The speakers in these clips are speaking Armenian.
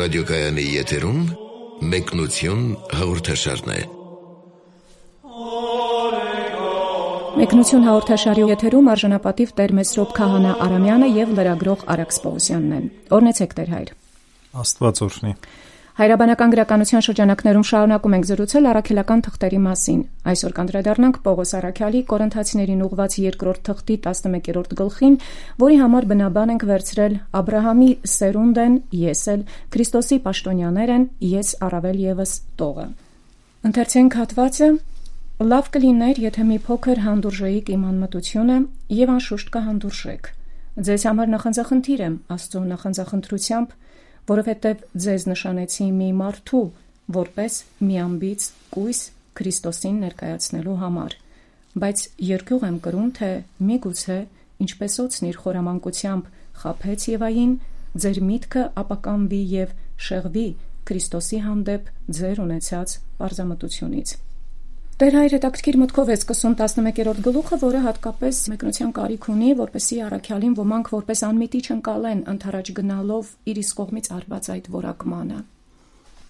ռադիոկայանի եթերում մեկնություն հաղորդաշարն է։ Մեկնություն հաղորդաշարի եթերում արժանապատիվ Տեր Մեսրոպ Քահանա Արամյանը եւ լրագրող Արաքս Պողոսյանն են։ Օրհնեցեք Տեր հայր։ Աստված օրհնի։ Հայրաբանական գրականության շրջանակներում շարունակում ենք զրուցել առաքելական թղթերի մասին։ Այսօր կանդրադառնանք Պողոս Արաքյալի Կորինթացիներին ուղղված 2-րդ թղթի 11-րդ գլխին, որի համար բնաբան ենք վերցրել Աբրահամի սերունդն ես էլ, Քրիստոսի պաշտոնյաներ են, ես առավել եւս տողը։ Ընթերցենք հատվածը. Լավ կլիներ, եթե մի փոքր հանդուրժեիք իմ անմտությունը եւ անշուշտ կհանդուրժեք։ Ձեզ համար նախանձախնդիր եմ Աստծո նախանձախնդրությամբ, որովհետև ձեզ նշանեցի մի մարդու, որպես մի ամբից կույս Քրիստոսին ներկայացնելու համար, բայց երկյուղ եմ կրում, թե միգուցե, ինչպես օձն իր խորամանկությամբ խաբեց Եվային, ձեր միտքը ապականվի եւ շեղվի Քրիստոսի հանդեպ ձեր ունեցած պարզամտությունից։ Տեր հայր հետաքրքիր մտքով է սկսում 11-րդ գլուխը, որը հատկապես մեկնության կարիք ունի, որպեսզի առաքյալին ոմանք որպես անմիտի չընկալեն ընթരാճ գնալով իր իսկ կողմից արված այդ որակմանը։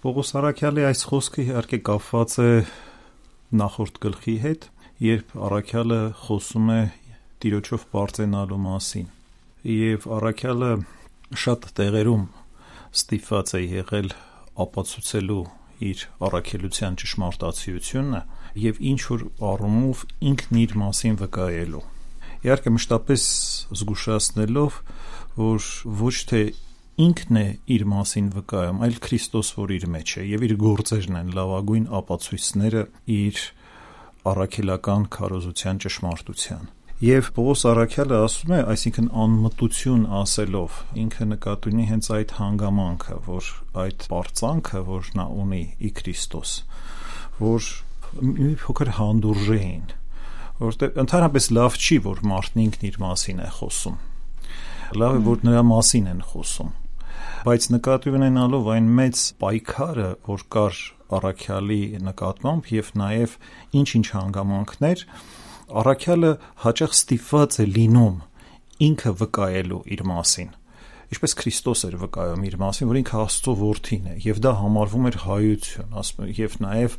Պողոս Արաքյալի այս խոսքը իհարկե կապված է նախորդ գլխի հետ, երբ առաքյալը խոսում է Տիրոջով բարձենալու մասին։ Եվ առաքյալը շատ տեղերում ստիպված է եղել ապացուցելու իր առաքելության ճշմարտացիությունը եւ ինչ որ առումով ինքն իր մասին վկայելու։ Իհարկե մշտապես զգուշացնելով, որ ոչ թե ինքն է իր մասին վկայում, այլ Քրիստոս, որ իր մեջ է, եւ իր գործերն են լավագույն ապացույցները իր առաքելական քարոզության ճշմարտության։ Եվ Պողոս Արաքյալը ասում է, այսինքն անմտություն ասելով, ինքը նկատի ունի հենց այդ հանգամանքը, որ այդ բարձանքը, որ նա ունի ի Քրիստոս, որ մի փոքր հանդուրժեին, որտեղ ընդհանրապես լավ չի, որ մարդն ինքն իր մասին է խոսում։ Լավ է, որ նրա մասին են խոսում։ Բայց նկատի ունենալով այն մեծ պայքարը, որ կար առաքյալի նկատմամբ եւ նաեւ ինչ-ինչ հանգամանքներ, առաքյալը հաճախ ստիպված է լինում ինքը վկայելու իր մասին, ինչպես Քրիստոս էր վկայում իր մասին, որ ինքը Աստծո որդին է, եւ դա համարվում էր հայություն, ասում եւ նաեւ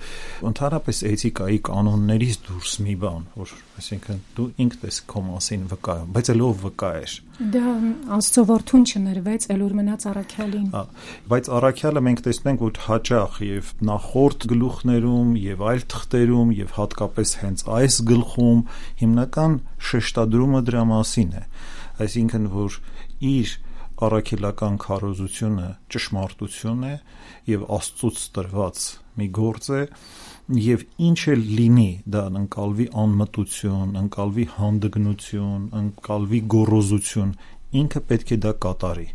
ընդհանրապես էթիկայի կանոններից դուրս մի բան, որ այսինքն դու ինքդ ես քո մասին վկայում, բայց ելով վկայեր։ Դա Աստծո որդուն չներվեց, ելուր մնաց առաքյալին։ Բայց առաքյալը մենք տեսնում ենք, որ հաճախ եւ նախորդ գլուխներում եւ այլ թղթերում եւ հատկապես հենց այս գլխում հիմնական շեշտադրումը դրա մասին է, այսինքն որ իր առաքելական քարոզությունը ճշմարտություն է եւ Աստծուց տրված մի գործ է եւ ինչ էլ լինի դա ընկալվի անմտություն, ընկալվի հանդգնություն, ընկալվի գոռոզություն, ինքը պետք է դա կատարի։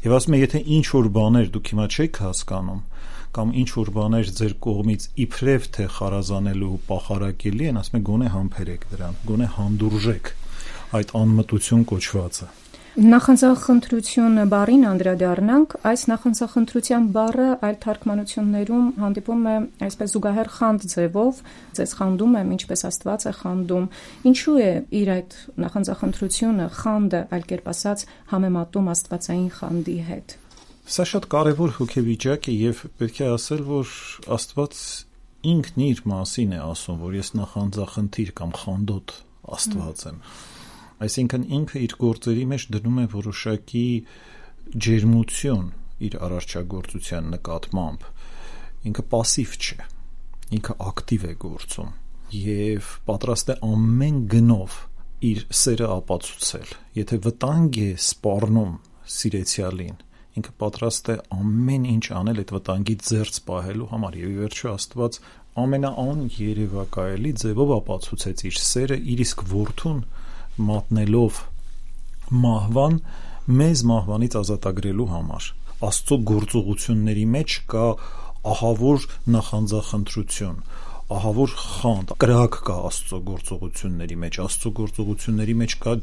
Եվ ասում է, եթե ինչ որ բաներ դուք հիմա չեք հասկանում կամ ինչ որ բաներ ձեր կողմից իբրև թե խարազանելու ու պախարակելի են, ասում է գոնե համբերեք դրան, գոնե հանդուրժեք այդ անմտություն կոչվածը։ Նախանձախնդրություն բառին անդրադառնանք, այս նախանձախնդրության բառը այլ թարգմանություններում հանդիպում է այսպես զուգահեռ խանդ ձևով, ձեզ խանդում եմ, ինչպես Աստված է խանդում։ Ինչու է իր այդ նախանձախնդրությունը, խանդը, այլ կերպ ասած, համեմատում աստվածային խանդի հետ։ Սա շատ կարևոր հոգեվիճակ է եւ պետք է ասել, որ Աստված ինքն իր մասին է ասում, որ ես նախանձախնդիր կամ խանդոտ Աստված եմ։ Այսինքն ինքը իր գործերի մեջ դնում է որոշակի ջերմություն իր արարչագործության նկատմամբ, ինքը պասիվ չէ, ինքը ակտիվ է գործում եւ պատրաստ է ամեն գնով իր սերը ապացուցել, եթե վտանգ է սպառնում սիրեցյալին, ինքը պատրաստ է ամեն ինչ անել այդ վտանգից զերծ պահելու համար եւ ի վերջո Աստված ամենաաներևակայելի ձևով ապացուցեց իր սերը իր իսկ որդուն մատնելով մահվան մեզ մահվանից ազատագրելու համար։ Աստծո գործողությունների մեջ կա ահավոր նախանձախնդրություն, ահավոր խանդ, կրակ կա Աստծո գործողությունների մեջ, Աստծո գործողությունների մեջ կա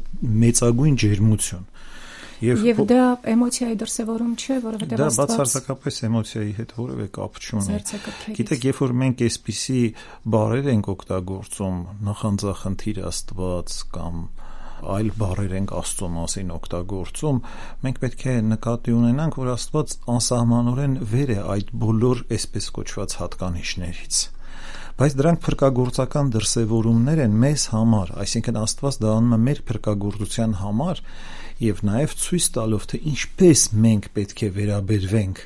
մեծագույն ջերմություն։ Եվ դա էմոցիայի դրսևորում չէ, որովհետև դա բացարձակապես էմոցիայի հետ որևէ կապ չունի։ Գիտեք, երբ որ մենք այսպիսի բառեր ենք օգտագործում, նախանձախնդիր Աստված կամ այլ բառեր ենք Աստծո մասին օգտագործում, մենք պետք է նկատի ունենանք, որ Աստված անսահմանորեն վեր է այդ բոլոր այսպես կոչված հատկանիշներից։ Բայց դրանք փրկagorցական դրսևորումներ են մեզ համար, այսինքն Աստված դա անում է մեր փրկagorցության համար եւ նաեւ ցույց տալով, թե ինչպես մենք պետք է վերաբերվենք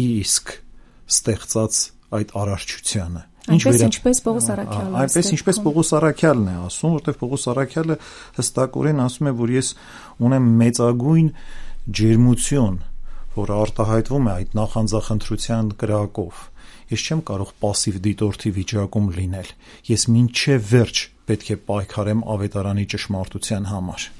իսկ ստեղծած այդ արարչությանը։ Ինչպես Պողոս Առաքյալը։ Այնպես ինչպես Պողոս Առաքյալն է ասում, որտեղ Պողոս Առաքյալը հստակորեն ասում է, որ ես ունեմ մեծագույն ջերմություն, որը արտահայտվում է այդ նախանձախնդրության կրակով։ Ես չեմ կարող пассив դիտորդի վիճակում լինել։ Ես մինչև վերջ պետք է պայքարեմ ավետարանի ճշմարտության համար։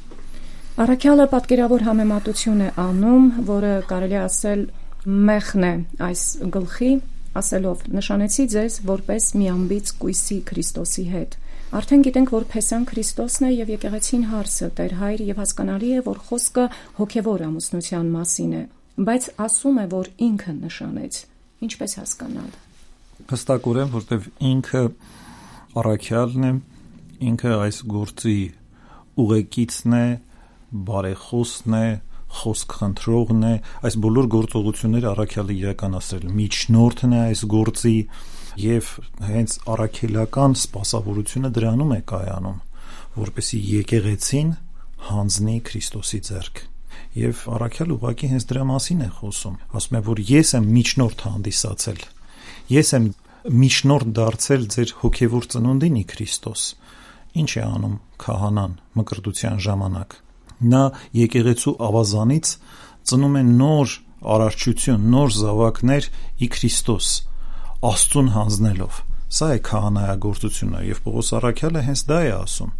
Առաքյալը պատկերավոր համեմատություն է անում, որը կարելի ասել մեղն է այս գլխի, ասելով. նշանեցի ձեզ որպես մի ամբից կույսի Քրիստոսի հետ։ Արդեն գիտենք, որ Փեսան Քրիստոսն է եւ եկեղեցին հարսը, Տեր Հայր, եւ հասկանալի է, որ խոսքը հոգեվոր ամուսնության մասին է, բայց ասում է, որ ինքը նշանեց։ Ինչպես հասկանալ։ Հստակորեն, որտեվ ինքը Առաքյալն է, ինքը այս գործի ուղեկիցն է, բարեխոսն է, խոսք խնդրողն է, այս բոլոր գործողությունները Առաքյալը իրականացրել, միջնորդն է այս գործի եւ հենց առաքելական սպասավորությունը դրանում է կայանում, որպեսզի եկեղեցին հանձնի Քրիստոսի ձեռք։ Եվ Առաքյալը ուղղակի հենց դրա մասին է խոսում, ասում է, որ ես եմ միջնորդ հանդիսացել, ես եմ միջնորդ դարձել ձեր հոգևոր ծնունդին ի Քրիստոս։ Ինչ է անում քահանան մկրտության ժամանակ։ Նա եկեղեցու ավազանից ծնում է նոր արարչություն, նոր զավակներ ի Քրիստոս, Աստծուն հանձնելով։ Սա է քահանայագործությունը, եւ Պողոս Առաքյալը հենց դա է ասում,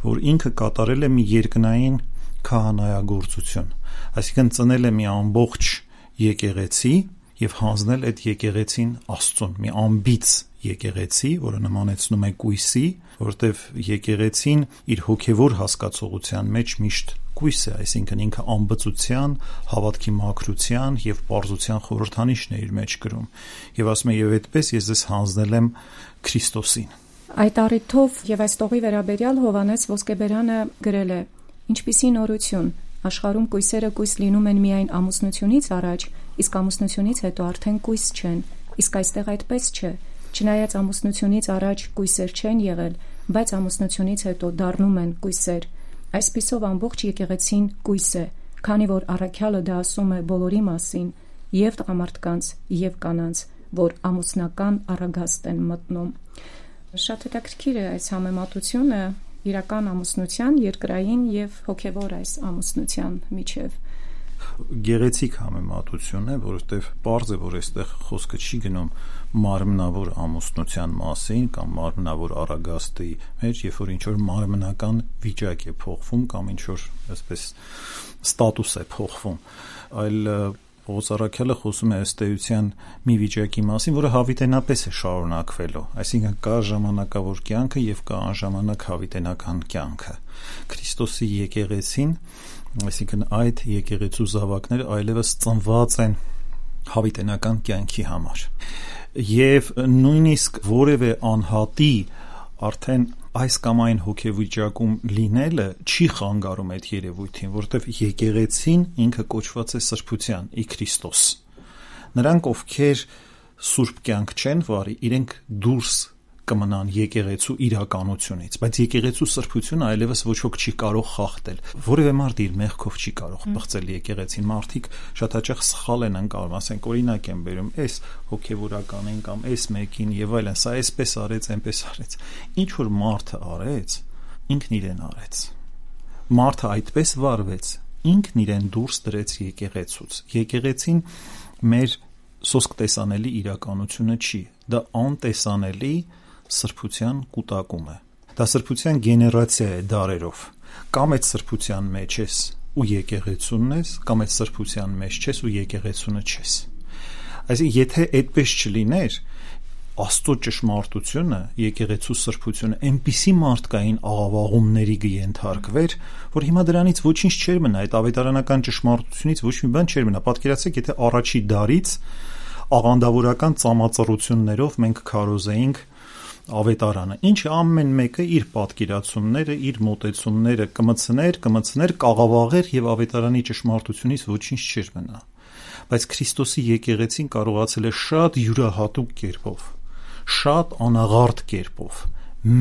որ ինքը կատարել է մի երկնային քահանայագործություն, այսինքն ծնել է մի ամբողջ եկեղեցի եւ հանձնել այդ եկեղեցին Աստծուն, մի ամբից եկեղեցի, որը նմանեցնում է կույսի, որտեվ եկեղեցին իր հոգևոր հասկացողության մեջ միշտ կույս է, այսինքն ինքը ամբծության, հավատքի մաքրության եւ պարզության խորհրդանիշն է իր մեջ կրում։ Եվ ասում է, եւ այդպես ես ձեզ հանձնել եմ Քրիստոսին։ Այդ առիթով եւ այս տողի վերաբերյալ Հովհաննես Ոսկեբերյանը գրել է. ինչպիսի նորություն, աշխարհում կույսերը կույս լինում են միայն ամուսնությունից առաջ, իսկ ամուսնությունից հետո արդեն կույս չեն, իսկ այստեղ այդպես չէ։ Չնայած ամուսնությունից առաջ կույսեր չեն եղել, բայց ամուսնությունից հետո դառնում են կույսեր։ Այսպիսով ամբողջ եկեղեցին կույս է, քանի որ Առաքյալը դա ասում է բոլորի մասին, եւ տղամարդկանց, եւ կանանց, որ ամուսնական առագաստ են մտնում։ Շատ հետաքրքիր է այս համեմատությունը իրական ամուսնության, երկրային եւ հոգեվոր այս ամուսնության միջև։ Գեղեցիկ համեմատություն է, որովհետև պարզ է, որ այստեղ խոսքը չի գնում մարմնավոր ամուսնության մասին կամ մարմնավոր առագաստի մեջ, երբ որ ինչ-որ մարմնական վիճակ է փոխվում կամ ինչ-որ այսպես ստատուս է փոխվում, այլ Պողոս Առաքյալը խոսում է ըստ էության մի վիճակի մասին, որը հավիտենապես է շարունակվելու, այսինքն կա ժամանակավոր կյանքը եւ կա անժամանակ հավիտենական կյանքը։ Քրիստոսի եկեղեցին, այսինքն այդ եկեղեցու զավակները այլևս ծնված են հավիտենական կյանքի համար։ Եվ նույնիսկ որևէ անհատի արդեն այս կամ այն հոգեվիճակում լինելը չի խանգարում այդ երևույթին, որովհետև եկեղեցին ինքը կոչված է սրբության ի Քրիստոս։ Նրանք, ովքեր սուրբ կյանք չեն վարի, իրենք դուրս կմնան եկեղեցու իրականությունից, բայց եկեղեցու սրբությունը այլևս ոչ ոք չի կարող խախտել։ Որևէ մարդ իր մեղքով չի կարող բացել եկեղեցին։ Մարդիկ շատ հաճախ սխալ են անցնում, ասենք օրինակ են բերում, այս հոգևորականին կամ այս մեկին եւ այլն, սա այսպես արեց, այնպես արեց։ Ինչ որ մարդը արեց, ինքն իրեն արեց։ Մարդը այդպես վարվեց, ինքն իրեն դուրս դրեց եկեղեցուց։ Եկեղեցին մեր սոսկ տեսանելի իրականությունը չի, դա անտեսանելի սրբության կուտակում է։ Դա սրբության գեներացիա է դարերով։ Կամ այդ սրբության մեջ ես ու եկեղեցունն ես, կամ այդ սրբության մեջ չես ու եկեղեցունը չես։ Այսինքն, եթե այդպես չլիներ, Աստծո ճշմարտությունը, եկեղեցու սրբությունը այնպիսի մարդկային աղավաղումների կենթարկվեր, որ հիմա դրանից ոչինչ չէր մնա, այդ ավետարանական ճշմարտությունից ոչ մի բան չէր մնա։ Պատկերացրեք, եթե առաջի դարից աղանդավորական ծամածռություններով մենք քարոզեինք ավետարանը, ինչը ամեն մեկը իր պատկերացումները, իր մոտեցումները կմցներ, կաղավաղեր եւ ավետարանի ճշմարտությունից ոչինչ չէր մնա։ Բայց Քրիստոսի եկեղեցին կարողացել է շատ յուրահատուկ կերպով, շատ անաղարտ կերպով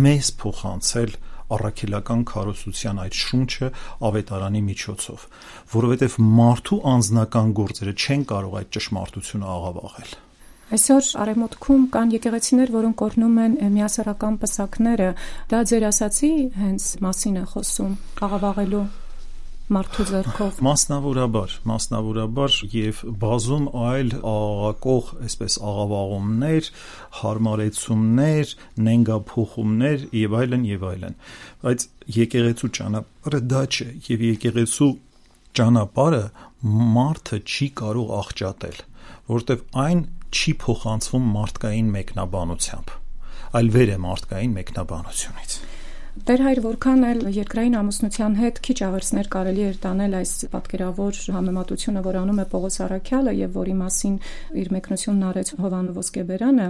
մեզ փոխանցել առաքելական քարոզության այդ շունչը ավետարանի միջոցով, որովհետև մարդու անձնական գործերը չեն կարող այդ ճշմարտությունը աղավաղել։ Այսօր արևմուտքում կան եկեղեցիներ, որոնք օրհնում են միասեռական պսակները, դա ձեր ասացի հենց մասին է խոսում, աղավաղելու մարդու ձեռքով։ Մասնավորաբար եւ բազում այլ աղաղակող, այսպես աղավաղումներ, հարմարեցումներ, նենգափոխումներ եւ այլն։ Բայց եկեղեցու ճանապարհը դա չէ, եւ եկեղեցու ճանապարհը մարդը չի կարող աղճատել, որովհետեւ այն չի փոխանցվում մարդկային մեկնաբանությամբ, այլ վեր է մարդկային մեկնաբանությունից։ Տեր հայր, որքան էլ երկրային ամուսնության հետ քիչ աղերսներ կարելի էր տանել այս պատկերավոր համեմատությունը, որ անում է Պողոս Առաքյալը եւ որի մասին իր մեկնությունն արեց Հովանու Ոսկեբերանը,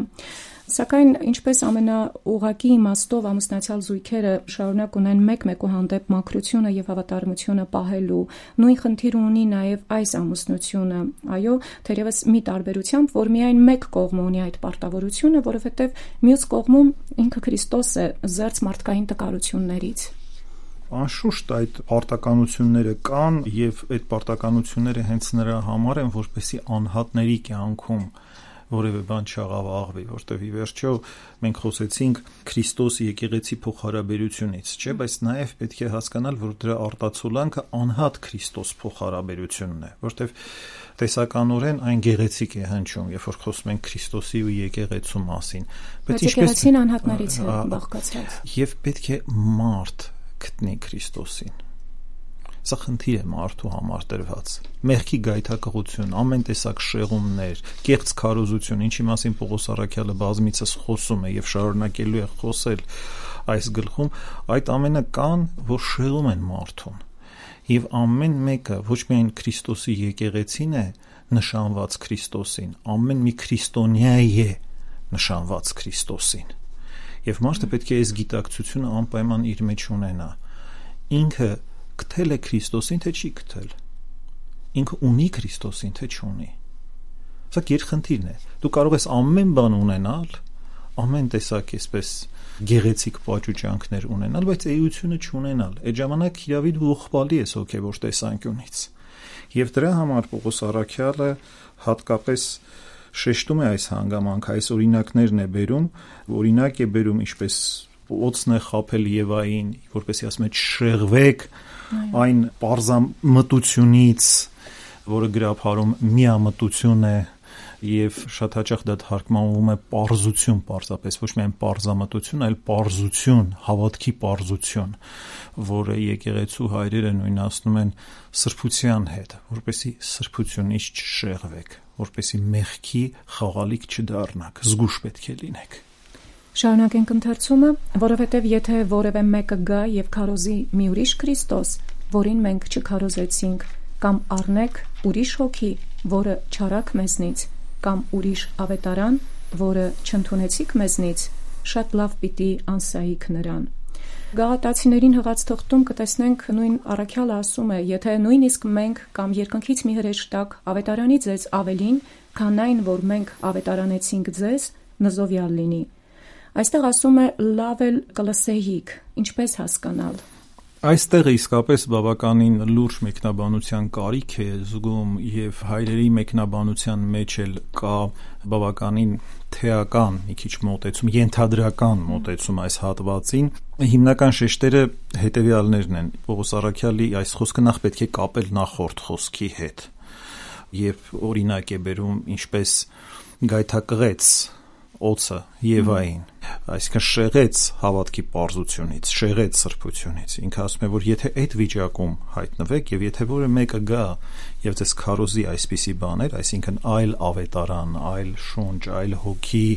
սակայն ինչպես ամենաուղղակի իմաստով ամուսնացյալ զույգերը շարունակ ունեն մեկու հանդեպ մաքրությունը եւ հավատարմությունը պահելու, նույն խնդիրը ունի նաեւ այս ամուսնությունը, այո, թերևս մի տարբերությամբ, որ միայն մեկ կողմը ունի այդ պարտավորությունը, որովհետեւ մյուս կողմում ինքը Քրիստոս է զերծ մարդկային տկարություններից։ Անշուշտ այդ պարտականությունները կան եւ այդ պարտականությունները հենց նրա համար են, որպեսզի անհատների կյանքում որևէ բան չաղավաղվի, որտեղ ի վերջո մենք խոսեցինք Քրիստոս եկեղեցի փոխհարաբերությունից, չէ՞, բայց նաև պետք է հասկանալ, որ դրա արտացոլանքը անհատ Քրիստոս փոխհարաբերությունն է, որտեղ տեսականորեն այն գեղեցիկ է հնչում, երբ որ խոսում ենք Քրիստոսի ու եկեղեցու մասին, բայց եկեղեցին անհատներից է բաղկացած։ Եվ պետք է մարդ գտնի Քրիստոսին։ Սա խնդիր է մարդու համար դրված։ Մեղքի գայթակղություն, ամեն տեսակ շեղումներ, կեղծ քարոզություն, ինչի մասին Պողոս Առաքյալը բազմիցս խոսում է եւ շարունակելու է խոսել այս գլխում, այդ ամենը կան, որ շեղում են մարդուն։ Եվ ամեն մեկը ոչ միայն Քրիստոսի եկեղեցին է նշանված Քրիստոսին, ամեն մի քրիստոնյա է նշանված Քրիստոսին։ Եվ մարդը պետք է այս գիտակցությունը անպայման իր մեջ ունենա։ Ինքը գտել է Քրիստոսին, թե չի գտել։ Ինքը ունի Քրիստոսին, թե չունի։ Սա գերխնդիրն է։ Դու կարող ես ամեն բան ունենալ, ամեն տեսակ այսպես գեղեցիկ պատճուճանքներ ունենալ, բայց էությունը չունենալ։ Այդ ժամանակ իրավի դու ողբալի ես հոգևոր տեսանկյունից։ Եվ դրա համար Պողոս Առաքյալը հատկապես շեշտում է այս հանգամանքը, այս օրինակներն է բերում, օրինակ է բերում, ինչպես օծն է խաբել Եվային, որպեսզի ասում է շեղվեք այն պարզամտությունից, որը գրաբարում միամտություն է, եւ շատ հաճախ դա թարգմանվում է պարզություն, պարզապես ոչ միայն պարզամտություն, այլ պարզություն, հավատքի պարզություն, որը եկեղեցու հայրերը նույնացնում են սրբության հետ, որպեսզի սրբությունից չշեղվեք, որպեսզի մեղքի խաղալիք չդառնաք, զգուշ պետք է լինեք։ Շարունակենք ընթերցումը, որովհետև եթե որևէ մեկը գա եւ քարոզի մի ուրիշ Քրիստոս, որին մենք չքարոզեցինք, կամ առնեք ուրիշ հոգի, որը չարաք մեզնից, կամ ուրիշ ավետարան, որը չընդունեցիք մեզնից, շատ լավ պիտի անսայիք նրան։ Գաղատացիներին հղած թղթում կտեսնենք նույն Առաքյալը ասում է, եթե նույնիսկ մենք կամ երկնքից մի հրեշտակ ավետարանի ձեզ ավելին, քան այն, որ մենք ավետարանեցինք ձեզ, նզովյալ լինի։ Այստեղ ասում է լավ էլ կլսեիք, ինչպես հասկանալ։ Այստեղ իսկապես բավականին լուրջ մեկնաբանության կարիք է զգում եւ հայրերի մեկնաբանության մեջ էլ կա բավականին թեական մի քիչ մոտեցում, ենթադրական մոտեցում այս հատվածին։ Հիմնական շեշտերը հետեւյալներն են։ Պողոս Առաքյալի այս խոսքը նախ պետք է կապել նախորդ խոսքի հետ եւ օրինակ է բերում ինչպես գայթակղեց օծը Եվային, այսինքն շեղեց հավատքի պարզությունից, շեղեց սրբությունից։ Ինքը ասում է, որ եթե այդ վիճակում հայտնվեք եւ եթե որը մեկը գա եւ ձեզ քարոզի այսպիսի բաներ, այսինքն այլ ավետարան, այլ շունչ, այլ հոգի,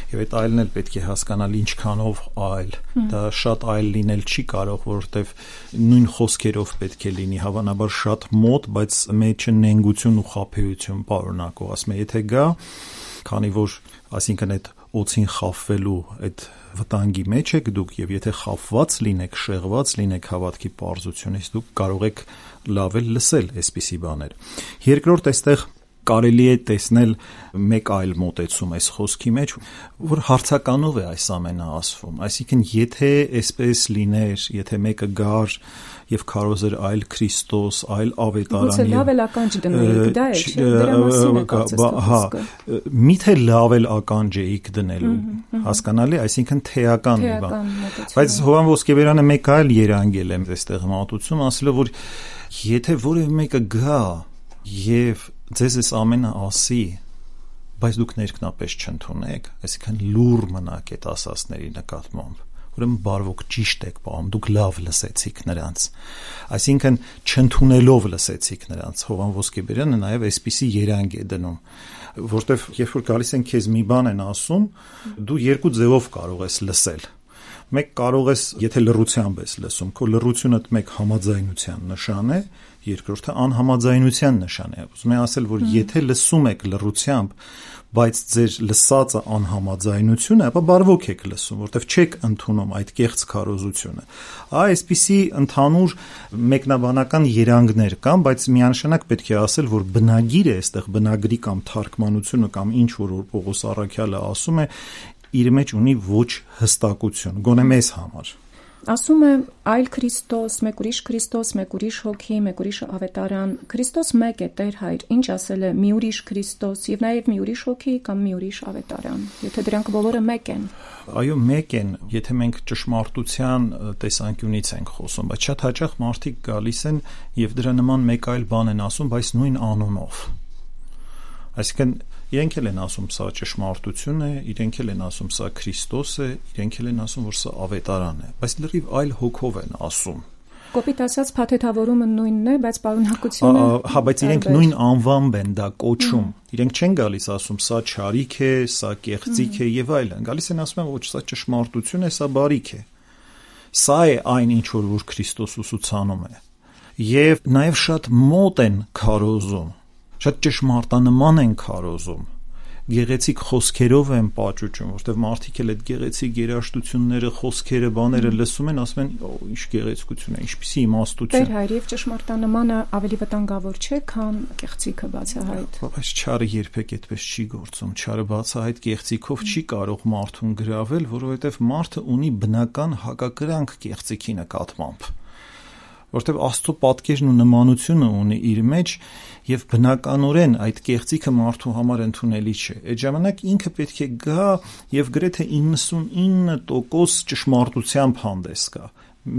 եւ այդ այլն էլ պետք է հասկանալ ինչքանով այլ, դա շատ այլ լինել չի կարող, որովհետեւ նույն խոսքերով պետք է լինի, հավանաբար շատ մոտ, բայց մեջը նենգություն ու խաբեություն պարունակող, ասում է, եթե գա, քանի որ Այսինքն այդ օծին խավվելու այդ վտանգի մեջ եք դուք եւ եթե խավված լինեք, շեղված լինեք հավատքի պարզությունից, դուք կարող եք լավ էլ լսել այսպիսի բաներ։ Երկրորդ այստեղ կարելի է տեսնել մեկ այլ մոտեցում այս խոսքի մեջ, որ հարցականով է այս ամենը ասվում։ Այսինքն, եթե այսպես լիներ, եթե մեկը գար եւ քարոզեր այլ Քրիստոս, այլ ավետարան, լավ էլ ականջ դնեիք, դա է, դրա մասին է կարծես։ Միթե լավ էլ ականջ էիք դնելու, հասկանալի, այսինքն թեական մի բան։ Բայց Հովհան Ոսկեբերյանը մեկ այլ երանգել է այստեղ մատուցում, ասելով, որ եթե որևէ մեկը գա եւ ձեզ այս ամենը ասի, բայց դուք ներքնապես չընդունեք, այսինքն լուր մնաք այդ ասածների նկատմամբ, ուրեմն բարվոք ճիշտ եք պահում, դուք լավ լսեցիք նրանց, այսինքն չընդունելով լսեցիք նրանց։ Հովհան Ոսկեբերյանը նաև այսպիսի երանգ է դնում, որտեվ երբ որ գալիս են քեզ մի բան են ասում, դու երկու ձևով կարող ես լսել։ Մեկ կարող ես, եթե լռությամբ ես լսում, քո լռությունդ մեկ համաձայնության նշան է, երկրորդը անհամաձայնության նշան է։ Ուզում եմ ասել, որ եթե լսում եք լռությամբ, բայց ձեր լսածը անհամաձայնություն է, ապա բարվոք եք լսում, որտեղ չեք ընդունում այդ կեղծ քարոզությունը։ Այսպիսի ընդհանուր մեկնաբանական երանգներ կան, բայց միանշանակ պետք է ասել, որ բնագիրը այստեղ բնագրի կամ թարգմանությունը կամ ինչ որ Պողոս առաքյալը ասում է, իր մեջ ունի ոչ հստակություն, գոնե մեզ համար։ Ասում է այլ Քրիստոս, մեկ ուրիշ Քրիստոս, մեկ ուրիշ հոգի, մեկ ուրիշ ավետարան։ Քրիստոս մեկ է, Տեր Հայր, ինչ ասել է մի ուրիշ Քրիստոս եւ նաեւ մի ուրիշ հոգի կամ մի ուրիշ ավետարան, եթե դրանք բոլորը մեկ են։ Այո, մեկ են, եթե մենք ճշմարտության տեսանկյունից ենք խոսում, բայց շատ հաճախ մարդիկ գալիս են եւ դրա նման մեկ այլ բան են ասում, բայց նույն անունով։ Այսինքն իրենք էլ են ասում սա ճշմարտություն է, իրենք էլ են ասում սա Քրիստոս է, իրենք էլ են ասում, որ սա ավետարան է, բայց լրիվ այլ հոգով են ասում։ Կոպիտ ասած փաթեթավորումը նույնն է, բայց պարունակությունը հա, բայց իրենք նույն անվամբ են դա կոչում։ Իրենք չեն գալիս ասում սա չարիք է, սա կեղծիք է եւ այլն։ Գալիս են ասում ոչ, սա ճշմարտություն է, սա բարիք է։ Սա է այն ինչ որ Քրիստոս ուսուցանում է։ Եվ նաեւ շատ մոտ են քարոզում, շատ ճշմարտանման են քարոզում, գեղեցիկ խոսքերով են պաճուճում, որտեղ մարդիկ էլ այդ գեղեցիկ երաժշտությունները, խոսքերը, բաները լսում են, ասում են, ինչ գեղեցկություն է, ինչպիսի իմաստություն։ Տեր Հայր, եւ ճշմարտանմանը ավելի վտանգավոր չէ, քան կեղծիքը բացահայտ։ Բայց չարը երբեք այդպես չի գործում։ Չարը բացահայտ կեղծիքով չի կարող մարդուն գրավել, որովհետև մարդը ունի բնական հակակրանք կեղծիքի նկատմամբ։ Որտեւ Աստծո պատկերն ու նմանությունը ունի իր մեջ եւ բնականորեն այդ կեղծիքը մարդու համար ընդունելի չէ։ Այդ ժամանակ ինքը պետք է գա եւ գրեթե 99% ճշմարտությամբ հանդես գա։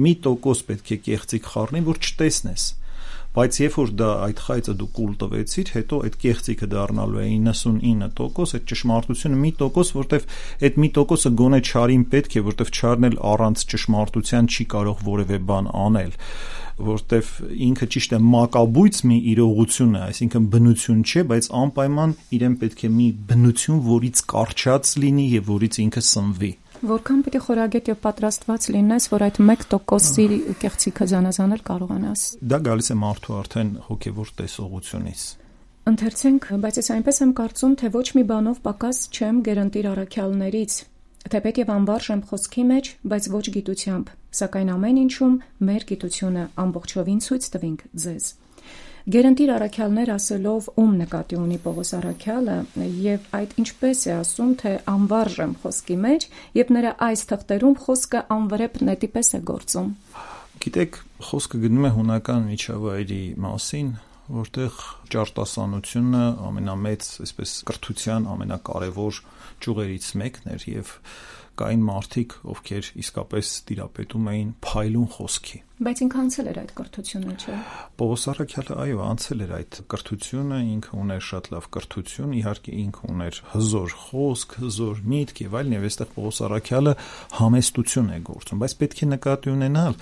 1% պետք է կեղծիք խառնի, որ չտեսնես։ Բայց երբ որ դա այդ խայծը դու կուլ տվեցիր, հետո այդ կեղծիքը դառնալու է 99%, այդ ճշմարտությունը 1%, որտեվ այդ 1%-ը գոնե չարին պետք է, որտեվ չարն էլ առանց ճշմարտության չի կարող որևէ բան անել, որտեվ ինքը ճիշտ է մակաբույց մի իրողություն է, այսինքն բնություն չէ, բայց անպայման իրեն պետք է մի բնություն, որից կարճած լինի եւ որից ինքը սնվի։ Որքան պիտի խորագետ եւ պատրաստված լինես, որ այդ 1%-ի կեղծիքը զանազանել կարողանաս։ Դա գալիս է մարդու արդեն հոգեվոր տեսողությունից։ Ընթերցենք, բայց ես այնպես եմ կարծում, թե ոչ մի բանով պակաս չեմ գերընտիր առաքյալներից, թեպետ եւ անվարժ եմ խոսքի մեջ, բայց ոչ գիտությամբ, սակայն ամեն ինչում մեր գիտությունը ամբողջովին ցույց տվինք ձեզ։ Գերընտիր առաքյալներ ասելով ում նկատի ունի Պողոս առաքյալը եւ այդ ինչպես է ասում, թե անվարժ եմ խոսքի մեջ եւ նրա այս թղթերում խոսքը անվրեպ նետի պես է գործում։ Գիտեք, խոսքը գնում է հունական միջավայրի մասին, որտեղ ճարտասանությունը ամենամեծ, այսպես կրթության ամենակարևոր ճյուղերից մեկն էր եւ կային մարդիկ, ովքեր իսկապես տիրապետում էին փայլուն խոսքի։ Բայց ինքը անցել էր այդ կրթությունը, չէ՞։ Պողոս առաքյալը այո, անցել էր այդ կրթությունը, ինքը ուներ շատ լավ կրթություն, իհարկե ինքը ուներ հզոր խոսք, հզոր միտք եւ այլն, եւ այստեղ Պողոս առաքյալը համեստություն է գործում, բայց պետք է նկատի ունենալ,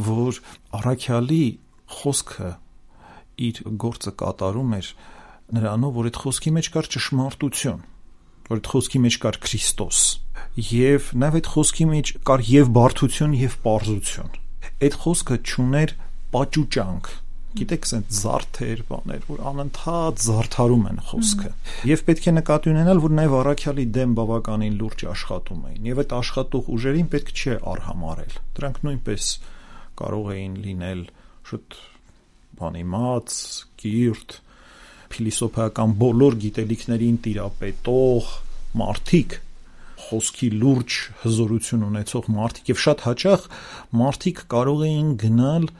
որ առաքյալի խոսքը իր գործը կատարում էր նրանով, որ այդ խոսքի մեջ կար ճշմարտություն, որ այդ խոսքի մեջ կար Քրիստոս, եւ նաեւ այդ խոսքի մեջ կար եւ բարդություն եւ պարզություն։ Այդ խոսքը չուներ պաճուճանք, Գիտեք, ասենք զարդեր, բաներ, որ անընդհատ զարդարում են խոսքը։ Եվ պետք է նկատի ունենալ, որ նաև առաքյալի դեմ բավականին լուրջ աշխատում էին, եւ այդ աշխատող ուժերին պետք չէ արհամարել։ Դրանք նույնպես կարող էին լինել շուտ բանիմաց, կիրթ, փիլիսոփայական բոլոր գիտելիքներին տիրապետող մարդիկ, խոսքի լուրջ հզորություն ունեցող մարդիկ, եւ շատ հաճախ մարդիկ կարող էին գնալ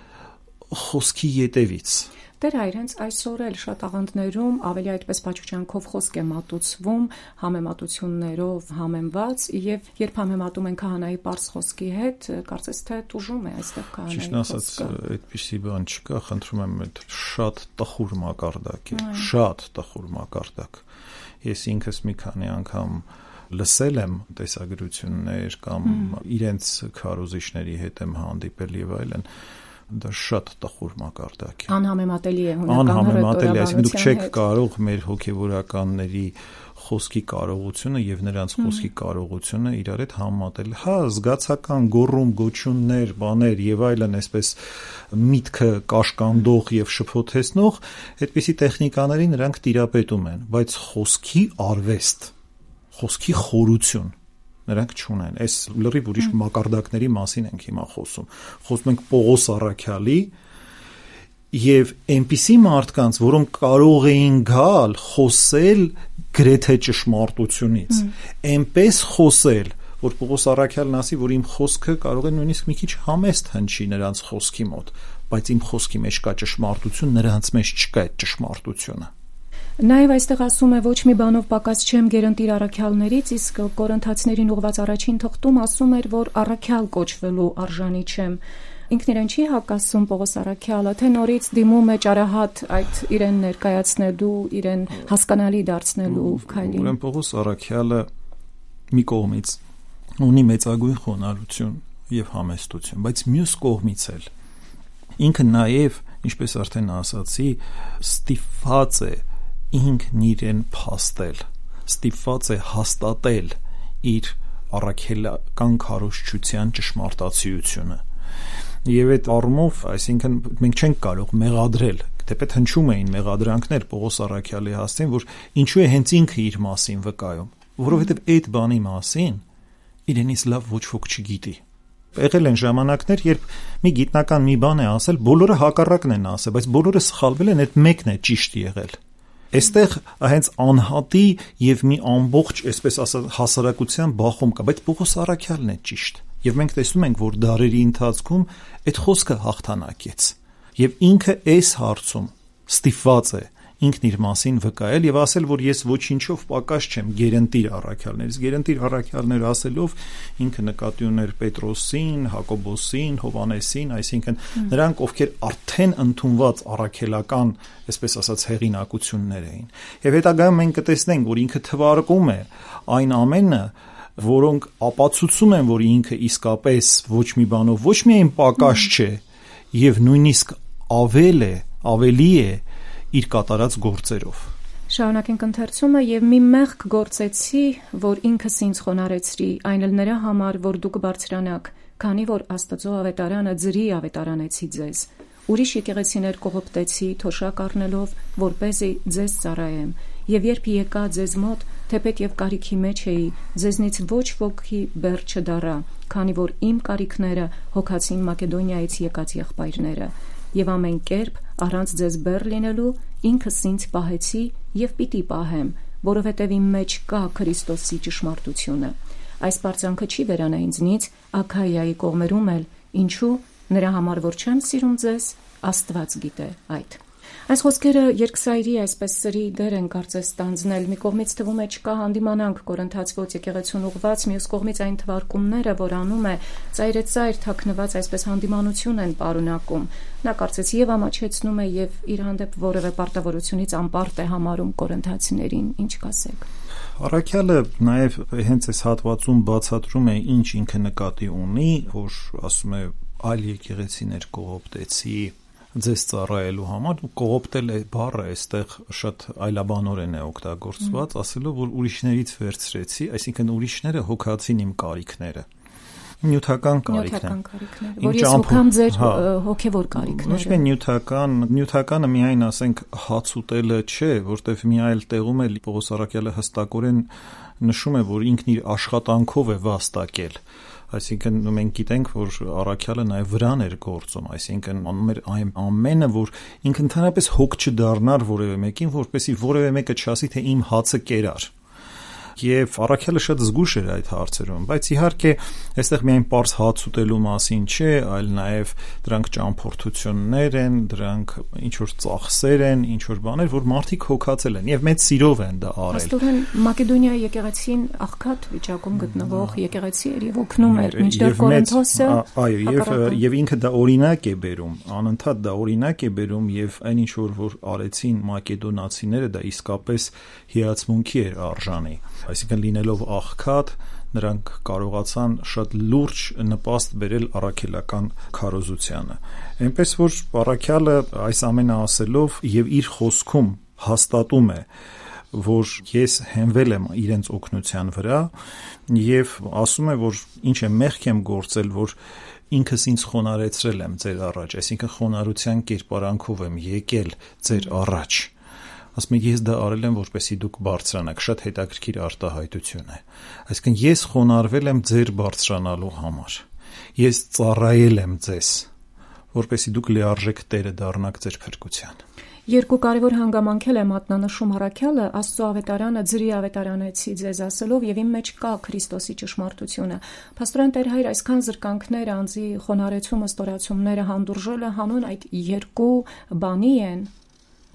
խոսքի ետևից։ Դեր այրենց այսօր էլ շատ աղանդներում ավելի այդպես պաճուճանքով խոսք է մատուցվում, համեմատություններով համեմված, եւ երբ համեմատում են քահանայի պարզ խոսքի հետ, կարծես թե տուժում է այստեղ քահանայի խոսքը։ Ճիշտ ասած, այդպիսի բան չկա, խնդրում եմ, այդ շատ տխուր մակարդակ է, շատ տխուր մակարդակ։ Ես ինքս մի քանի անգամ լսել եմ տեսագրություններ կամ իրենց քարոզիչների հետ եմ հանդիպել եւ այլն, դա շատ տխուր մակարդակ է։ Անհամեմատելի է հունական անհամեմատելի, այսինքն դուք չեք կարող մեր հոգեվորականների խոսքի կարողությունը եւ նրանց խոսքի կարողությունը իրար հետ համատել։ Հա, զգացական գոռում, գոչյուններ, բաներ եւ այլն, այսպես միտքը կաշկանդող եւ շփոթեցնող, այդպիսի տեխնիկաների նրանք տիրապետում են, բայց խոսքի արվեստ, խոսքի խորություն նրանք չունեն։ Այս լրիվ ուրիշ մակարդակների մասին ենք հիմա խոսում։ Խոսում ենք Պողոս առաքյալի եւ այնպիսի մարդկանց, որոնք կարող էին գալ խոսել գրեթե ճշմարտությունից, այնպես խոսել, որ Պողոս առաքյալն ասի, որ իմ խոսքը կարող է նույնիսկ մի քիչ համեստ հնչի նրանց խոսքի մոտ, բայց իմ խոսքի մեջ կա ճշմարտություն, նրանց մեջ չկա այդ ճշմարտությունը։ Նաև այստեղ ասում է ոչ մի բանով պակաս չեմ գերընտիր առաքյալներից, իսկ Կորինթացիներին ուղված առաջին թղթում ասում էր, որ առաքյալ կոչվելու արժանի չեմ։ Ինքն իրեն չի հակասում Պողոս առաքյալը, թե նորից դիմում է ճարահատ այդ իրեն ներկայացնելու, իրեն հասկանալի դարձնելու քայլին։ Ուրեմն Պողոս առաքյալը մի կողմից ունի մեծագույն խոնարհություն եւ համեստություն, բայց մյուս կողմից էլ ինքը նաև, ինչպես արդեն ասացի, ստիպված է ինքն իրեն փաստել, ստիպված է հաստատել իր առաքելական քարոզչության ճշմարտացիությունը։ Եվ այդ առումով, այսինքն մենք չենք կարող մեղադրել, թեպետ հնչում էին մեղադրանքներ Պողոս առաքյալի հասցեն, որ ինչու է հենց ինքը իր մասին վկայում, որովհետև այդ բանի մասին իրենից լավ ոչ ոք չգիտի։ Եղել են ժամանակներ, երբ մի գիտնական մի բան է ասել, բոլորը հակառակն են ասել, բայց բոլորը սխալվել են, այդ մեկն է ճիշտ եղել։ Այստեղ հենց անհատի եւ մի ամբողջ, այսպես ասած, հասարակության բախում կա, բայց Պողոս առաքյալն է ճիշտ։ Եվ մենք տեսնում ենք, որ դարերի ընթացքում այդ խոսքը հաղթանակեց։ Եվ ինքը այս հարցում ստիպված է ինքն իր մասին վկայել եւ ասել, որ ես ոչինչով պակաս չեմ գերընտիր առաքյալներից։ Գերընտիր առաքյալներ ասելով ինքը նկատի ուներ Պետրոսին, Հակոբոսին, Հովանեսին, այսինքն նրանք, ովքեր արդեն ընդունված առաքելական, այսպես ասած, հեղինակություններ էին։ Եվ հետագայում մենք կտեսնենք, որ ինքը թվարկում է այն ամենը, որոնք ապացուցում են, որ ինքը իսկապես ոչ մի բանով ոչ միայն պակաս չէ, եւ նույնիսկ ավելի է իր կատարած գործերով։ Շարունակենք ընթերցումը եւ մի մեղք գործեցի, որ ինքս ինձ խոնարեցրի, այն էլ նրա համար, որ դուք բարձրանաք, քանի որ Աստծո ավետարանը ձրի ավետարանեցի ձեզ։ Ուրիշ եկեղեցիներ կողոպտեցի, թոշակ առնելով, որպեսզի ձեզ ծառայեմ, եւ երբ եկա ձեզ մոտ, թեպետ եւ կարիքի մեջ էի, ձեզնից ոչ ոքի բեռ չդառա, քանի որ իմ կարիքները հոգացին Մակեդոնիայից եկած եղբայրները, եւ ամեն կերպ առանց ձեզ բեռ լինելու ինքս ինձ պահեցի եւ պիտի պահեմ, որովհետեւ իմ մեջ կա Քրիստոսի ճշմարտությունը։ Այս պարծանքը չի վերանա ինձնից, Աքայիայի կողմերում էլ, ինչու, նրա համար որ չեմ սիրում ձեզ, Աստված գիտե այդ։ Այս խոսքերը երկսայրի այսպես սրի դեր են կարծես ստանձնել, մի կողմից թվում է չկա հանդիմանանք Կորինթացվոց եկեղեցուն ուղված, մյուս կողմից այն թվարկումները, որ անում է ծայրեցայր թաքնված այսպես հանդիմանություն են պարունակում։ Նա կարծես եւ ամաչեցնում է եւ իր հանդեպ որևէ պարտավորությունից անպարտ է համարում կորինթացիներին, ինչ կասեք։ Առաքյալը նաեւ հենց այս հատվածում բացատրում է ինչ ինքը նկատի ունի, որ ասում է այլ եկեղեցիներ կողոպտեցի ձեզ ծառայելու համար, կողոպտել է բառը այստեղ շատ այլաբանորեն է օգտագործված, ասելով, որ ուրիշներից վերցրեցի, այսինքն ուրիշները հոգացին իմ կարիքները։ Նյութական կարիքն է։ Որ ես հոգամ ձեր հոգևոր կարիքները։ Ոչ միայն նյութականը միայն ասենք հաց ուտելը չէ, որտեվ մի այլ տեղում էլ Պողոս Առաքյալը հստակորեն նշում է, որ ինքն իր աշխատանքով է վաստակել։ Այսինքն մենք գիտենք, որ Առաքյալը նաև վրան էր գործում, այսինքն անում էր այն ամենը, որ ինքը ընդհանրապես հոգ չդառնար որևէ մեկին, որպեսզի որևէ մեկը չասի, թե իմ հացը կերար։ Եվ Առաքյալը շատ զգույշ էր այդ հարցերում, բայց իհարկե այստեղ միայն պարզ հաց ուտելու մասին չէ, այլ նաև դրանք ճամփորդություններ են, դրանք ինչ որ ծախսեր են, ինչ որ բաներ, որ մարդիկ հոգացել են եւ մեծ սիրով են դա արել։ Աստորեն Մակեդոնիայի եկեղեցին աղքատ վիճակում գտնվող եկեղեցի էր եւ օգնում էր, մինչդեռ Կորինթոսը եւ ինքը դա օրինակ է բերում, անընդհատ դա օրինակ է բերում եւ այն ինչ որ արեցին մակեդոնացիները դա իսկապես հիացմունքի էր արժանի։ Այսինքն լինելով աղքատ, նրանք կարողացան շատ լուրջ նպաստ բերել առաքելական քարոզությանը։ Այնպես որ Առաքյալը այս ամենը ասելով եւ իր խոսքում հաստատում է, որ ես հենվել եմ իրենց օգնության վրա եւ ասում է, որ ինչ է մեղք եմ գործել, որ ինքս ինձ խոնարհեցրել եմ ձեր առաջ, այսինքն խոնարհության կերպարանքով եմ եկել ձեր առաջ։ Ասում եմ, ես դա արել եմ, որպեսզի դուք բարձրանաք, շատ հետաքրքիր արտահայտություն է։ Այսինքն ես խոնարհվել եմ ձեր բարձրանալու համար։ Ես ծառայել եմ ձեզ, որպեսզի դուք լիարժեք տերը դառնաք ձեր փրկության։ Երկու կարևոր հանգամանքել է մատնանշում Առաքյալը, Աստծո ավետարանը ձրի ավետարանեցի ձեզ ասելով եւ իմ մեջ կա Քրիստոսի ճշմարտությունը։ Փաստորեն Տեր Հայր այսքան զրկանքներ անձի խոնարհեցումը, ստորացումները հանդուրժելը հանուն այդ երկու բանի են։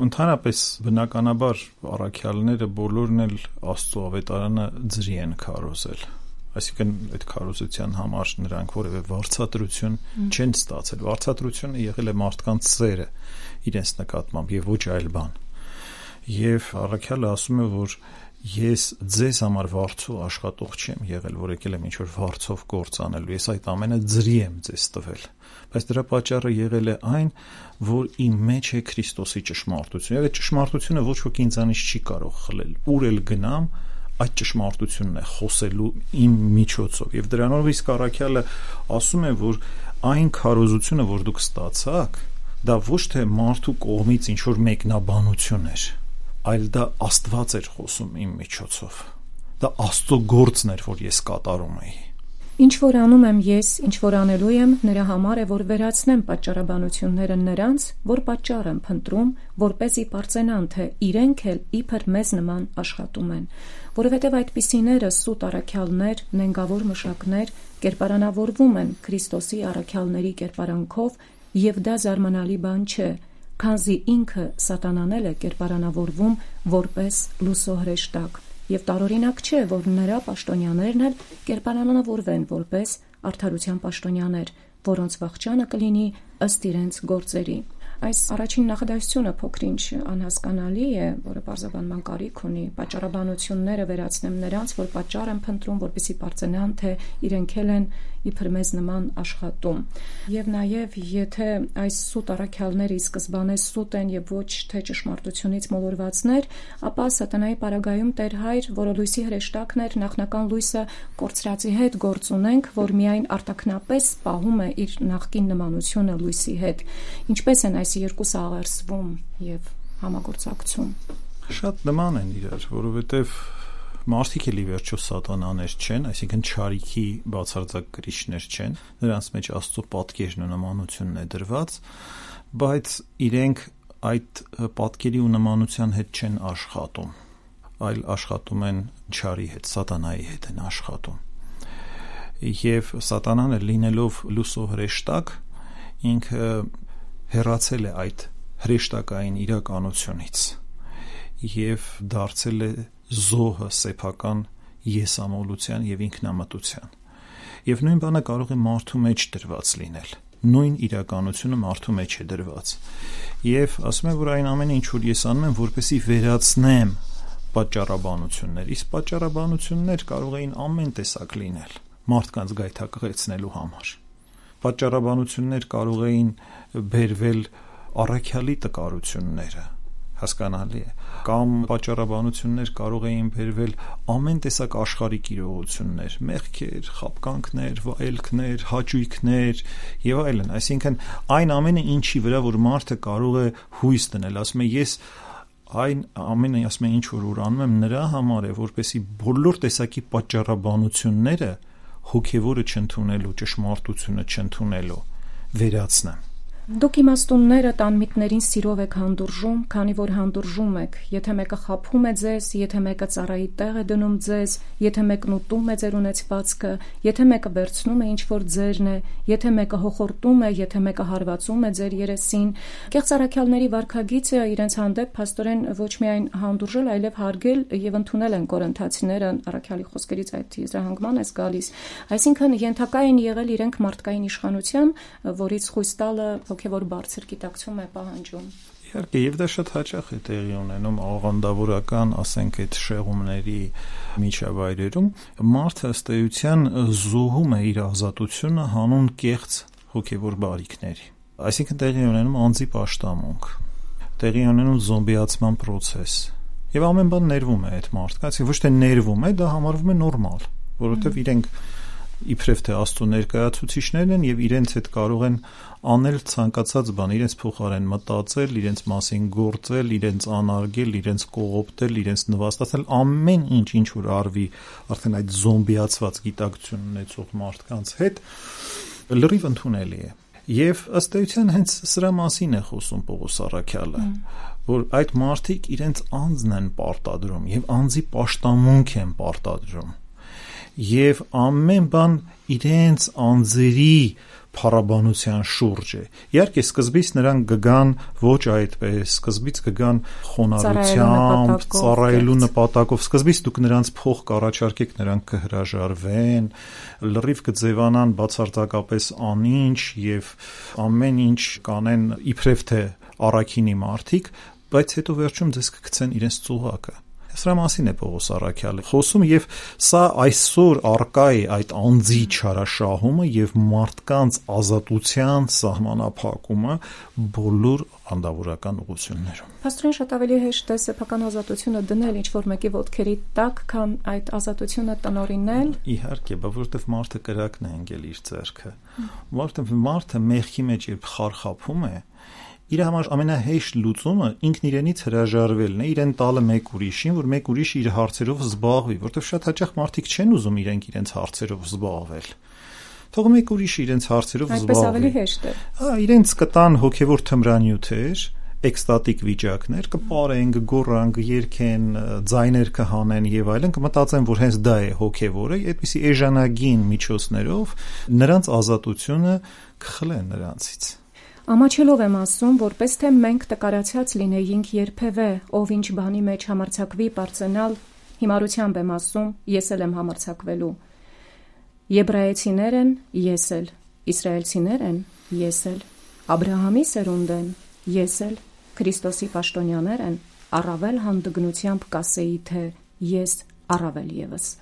Ընդհանրապես բնականաբար առաքյալները բոլորն էլ Աստծո ավետարանը ձրի են քարոզել։ Այսինքն այդ քարոզության համար նրանք որևէ վարձատրություն չեն ստացել։ Վարձատրությունը եղել է մարդկանց սերը իրենց նկատմամբ եւ ոչ այլ բան։ Եվ առաքյալը ասում է, որ ես ձեզ համար վարձու աշխատող չեմ եղել, որ եկել եմ ինչ-որ վարձով գործ անելու, ես այդ ամենը ձրի եմ ձեզ տվել, բայց դրա պատճառը եղել է այն, որ իմ մեջ է Քրիստոսի ճշմարտությունը, եւ այդ ճշմարտությունը ոչ ոք ինձանից չի կարող խլել, ուր էլ գնամ, այդ ճշմարտությունն է խոսելու իմ միջոցով, եւ դրանով իսկ առաքյալը ասում է, որ այն քարոզությունը, որ դուք ստացաք, դա ոչ թե մարդու կողմից ինչ-որ մեկնաբանություն էր, այլ դա Աստված էր խոսում իմ միջոցով։ Դա Աստծո գործն էր, որ ես կատարում էի։ Ինչ որ անում եմ ես, ինչ որ անելու եմ, նրա համար է, որ վերացնեմ պատճառաբանությունները նրանց, որ պատճառ եմ փնտրում, որպեսզի պարծենան, թե իրենք էլ իբր մեզ նման աշխատում են, որովհետև այդպիսիները սուտ առաքյալներ, նենգավոր մշակներ կերպարանավորվում են Քրիստոսի առաքյալների կերպարանքով, եւ դա զարմանալի բան չէ, քանզի ինքը սատանան է կերպարանավորվում որպես լուսո հրեշտակ, եւ տարօրինակ չէ, որ նրա պաշտոնյաներն էլ կերպարանավորվեն որպես արդարության պաշտոնյաներ, որոնց վախճանը կլինի ըստ իրենց գործերի։ Այս առաջին նախադասությունը փոքրինչ անհասկանալի է, որը բարձրաբանման կարիք ունի, պատճառաբանությունները վերացնեմ նրանց, որ պատճառ են փնտրում, որպեսզի պարծենան, թե իրենք էլ են իբր մեզ նման աշխատում։ Եվ նաև եթե այս սուտ առաքյալները ի սկզբանե սուտ են եւ ոչ թե ճշմարտությունից մոլորվածներ, ապա սատանայի պարագայում Տեր Հայր, որը լույսի հրեշտակն էր, նախնական լույսը կորցրածի հետ գործ ունենք, որ միայն արտաքնապես պահում է իր նախկին նմանությունը լույսի հետ։ Ինչպես են այս երկուսը աղերսվում եւ համագործակցում։ Շատ նման են իրար, որովհետեւ մարդիկ էլի վերջո սատանաներ չեն, այսինքն չարիքի բացարձակ կրիչներ չեն, նրանց մեջ Աստծո պատկերն ու նմանությունն է դրված, բայց իրենք այդ պատկերի ու նմանության հետ չեն աշխատում, այլ աշխատում են չարի հետ, սատանայի հետ են աշխատում։ Եվ սատանան լինելով լուսո հրեշտակ, ինքը հեռացել է այդ հրեշտակային իրականությունից եւ դարձել է զոհը սեփական եսամոլության եւ ինքնամտության։ Եվ նույն բանը կարող է մարդու մեջ դրված լինել։ Նույն իրականությունը մարդու մեջ է դրված։ Եվ ասում եմ, որ այն ամենը, ինչ որ ես անում եմ, որպեսզի վերացնեմ պատճառաբանություններ, իսկ պատճառաբանություններ կարող էին ամեն տեսակ լինել մարդկանց գայթակղեցնելու համար։ Պատճառաբանություններ կարող էին բերվել առաքյալի տկարությունները, հասկանալի է, կամ պատճառաբանություններ կարող էին բերվել ամեն տեսակ աշխարհիկ իրողություններ, մեղքեր, խաբկանքներ, վայելքներ, հաճույքներ եւ այլն, այսինքն այն ամենը, ինչի վրա որ մարդը կարող է հույս դնել, ասում է ես այն ամենը, ասում է ինչ որ անում եմ նրա համար է, որպեսզի բոլոր տեսակի պատճառաբանությունները հոգևորը չընդունելու, ճշմարտությունը չընդունելու վերացնեմ։ Դուք իմաստունները տանմիտներին սիրով եք հանդուրժում, քանի որ հանդուրժում եք, եթե մեկը խաբում է ձեզ, եթե մեկը ծառայի տեղ է դնում ձեզ, եթե մեկն ուտում է ձեր ունեցվածքը, եթե մեկը վերցնում է ինչ որ ձերն է, եթե մեկը հոխորտում է, եթե մեկը հարվածում է ձեր երեսին։ Կեղծ առաքյալների վարքագիծը իրենց հանդեպ փաստորեն ոչ միայն հանդուրժել, այլև հարգել եւ ընդունել են կորինթացիները, առաքյալի խոսքերից այդ եզրահանգման է գալիս։ Այսինքն ենթակա են եղել իրենք մարդկային իշխանության, որից խույս տալը հոգևոր բարձր գիտակցում է պահանջում։ Իհարկե, եւ դա շատ հաճախ է տեղի ունենում աղանդավորական, ասենք, այդ շեղումների միջավայրերում, մարդը ըստ էության զոհում է իր ազատությունը հանուն կեղծ հոգևոր բարիքների։ Այսինքն տեղի ունենում անձի պաշտամունք, տեղի ունենում զոմբիացման process։ Եվ ամեն բան ներվում է այդ մարդկանց, ոչ թե ներվում է, դա համարվում է նորմալ, որովհետեւ իրենք իբրև թե Աստծո ներկայացուցիչներն են եւ իրենց հետ կարող են անել ցանկացած բան, իրենց փոխարեն մտածել, իրենց մասին գործել, իրենց անարգել, իրենց կողոպտել, իրենց նվաստացնել, ամեն ինչ որ արվի արդեն այդ զոմբիացված գիտակցություն ունեցող մարդկանց հետ լրիվ ընդունելի է։ Եվ ըստ էության հենց սրա մասին է խոսում Պողոս առաքյալը, որ այդ մարդիկ իրենց անձն են պարտադրում եւ անձի պաշտամունք են պարտադրում։ Եվ ամեն բան իրենց անձերի փառաբանության շուրջ է։ Իհարկե սկզբից նրանք կգան ոչ այդպես, սկզբից կգան խոնարհությամբ, ծառայելու նպատակով, սկզբից դուք նրանց փող կառաջարկեք, նրանք կհրաժարվեն, լրիվ կձևանան բացարձակապես անինչ եւ ամեն ինչ կանեն իբրև թե առաքինի մարդիկ, բայց հետո վերջում ձեզ կգցեն իրենց ծուղակը։ Սրա մասին է Պողոս առաքյալը խոսում եւ սա այսօր արկա է այդ անձի չարաշահումը եւ մարդկանց ազատության սահմանափակումը բոլոր անդավորական ուղղություններում։ Փաստորեն շատ ավելի հեշտ է սեփական ազատությունը դնել ինչ որ մեկի ոտքերի տակ, քան այդ ազատությունը տնօրինել։ Իհարկե, որովհետեւ մարդը կրակն է ընկել իր ձեռքը։ Որովհետեւ մարդը մեղքի մեջ երբ խարխափում է, իր համար ամենահեշտ լուծումը ինքն իրենից հրաժարվելն է, իրեն տալը մեկ ուրիշին, որ մեկ ուրիշ իր հարցերով զբաղվի, որովհետև շատ հաճախ մարդիկ չեն ուզում իրենց հարցերով զբաղվել։ Թող մեկ ուրիշ իրենց հարցերով զբաղվի։ Այդպես ավելի հեշտ է։ Իրենց կտան հոգևոր թմրանյութեր, էկստատիկ վիճակներ, կպարեն, կգոռան, կերքեն, ձայներ կհանեն եւ այլն, կմտածեն, որ հենց դա է հոգևորը, այդպիսի էժանագին միջոցներով նրանց ազատությունը կխլեն նրանցից։ Ամաչելով եմ ասում, որպես թե մենք տկարացած լինեինք երբևէ, ով ինչ բանի մեջ համարձակվի պարծենալ, հիմարությամբ եմ ասում, ես էլ եմ համարձակվելու։ Եբրայեցիներ են, ես էլ, իսրայելցիներ են, ես էլ, Աբրահամի սերունդ են, ես էլ, Քրիստոսի պաշտոնյաներ են, առավել հանդգնությամբ կասեի, թե ես առավել եւս։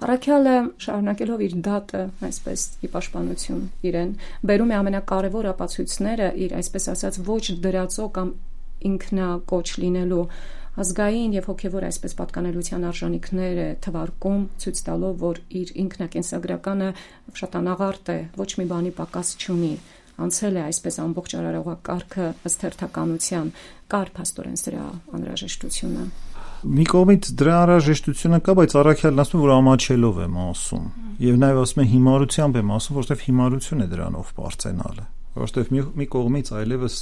Առաքյալը շարունակելով իր դատը, այսպես ի պաշտպանություն իրեն, բերում է ամենակարևոր ապացույցները իր, այսպես ասած, ոչ դրածո կամ ինքնակոչ լինելու ազգային եւ հոգեվոր այսպես պատկանելության արժանինքները թվարկում, ցույց տալով, որ իր ինքնակենսագրականը շատ անաղարտ է, ոչ մի բանի պակաս չունի, անցել է այսպես ամբողջ արարողակարգը ըստ հերթականության, կար փաստորեն սրա անհրաժեշտությունը։ Մի կողմից դրա անհրաժեշտությունը կա, բայց առաքյալն ասում է, որ ամաչելով եմ ասում, եւ նաեւ ասում է հիմարությամբ եմ ասում, որովհետեւ հիմարություն է դրանով բարձենալը, որովհետեւ մի կողմից այլևս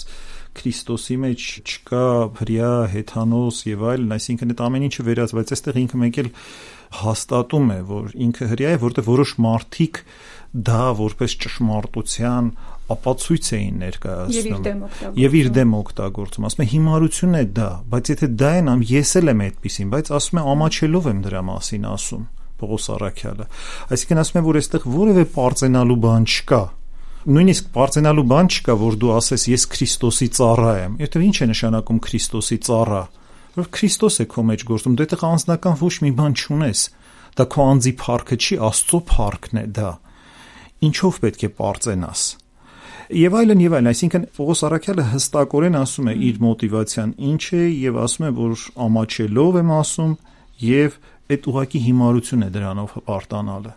Քրիստոսի մեջ չկա հրյա, հեթանոս եւ այլն, այսինքն այդ ամեն ինչը վերած, բայց այստեղ ինքը մեկ էլ հաստատում է, որ ինքը հրյա է, որովհետեւ որոշ մարդիկ դա որպես ճշմարտության ապացույց էին ներկայացնում եւ իր դեմ օգտագործում, ասում է հիմարություն է դա, բայց եթե դա են ամ ես էլ եմ այդպեսին, բայց ասում է ամաչելով եմ դրա մասին ասում Պողոս առաքյալը, այսինքն ասում է, որ այստեղ որևէ պարծենալու բան չկա, նույնիսկ պարծենալու բան չկա, որ դու ասես ես Քրիստոսի ծառա եմ, եթե ինչ է նշանակում Քրիստոսի ծառա, որ Քրիստոս է քո մեջ գործում, դու այդտեղ անձնական ոչ մի բան չունես, դա քո անձի փառքը չի, Աստծո փառքն է դա, ինչով պետք է պարծենաս։ Եվ այլն, այսինքն Պողոս Առաքյալը հստակորեն ասում է իր մոտիվացիան ինչ է եւ ասում է, որ ամաչելով եմ ասում եւ այդ ուղղակի հիմարություն է դրանով հպարտանալը։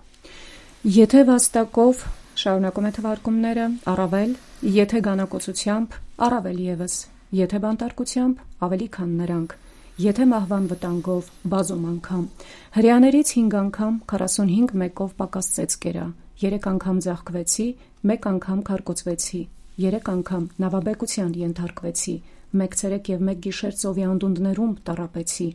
Եթե վաստակով շարունակում է թվարկումները, առավել, եթե գանակոծությամբ, առավել եւս, եթե բանտարկությամբ, ավելի քան նրանք, եթե մահվան վտանգով, բազում անգամ, հրեաներից 5 անգամ 45 մեկով պակասեց կերա, 3 անգամ ձաղկվեցի, 1 անգամ քարկոծվեցի, 3 անգամ նավաբեկության ենթարկվեցի, 1 ցերեկ եւ 1 գիշեր ծովի անդունդներում տառապեցի,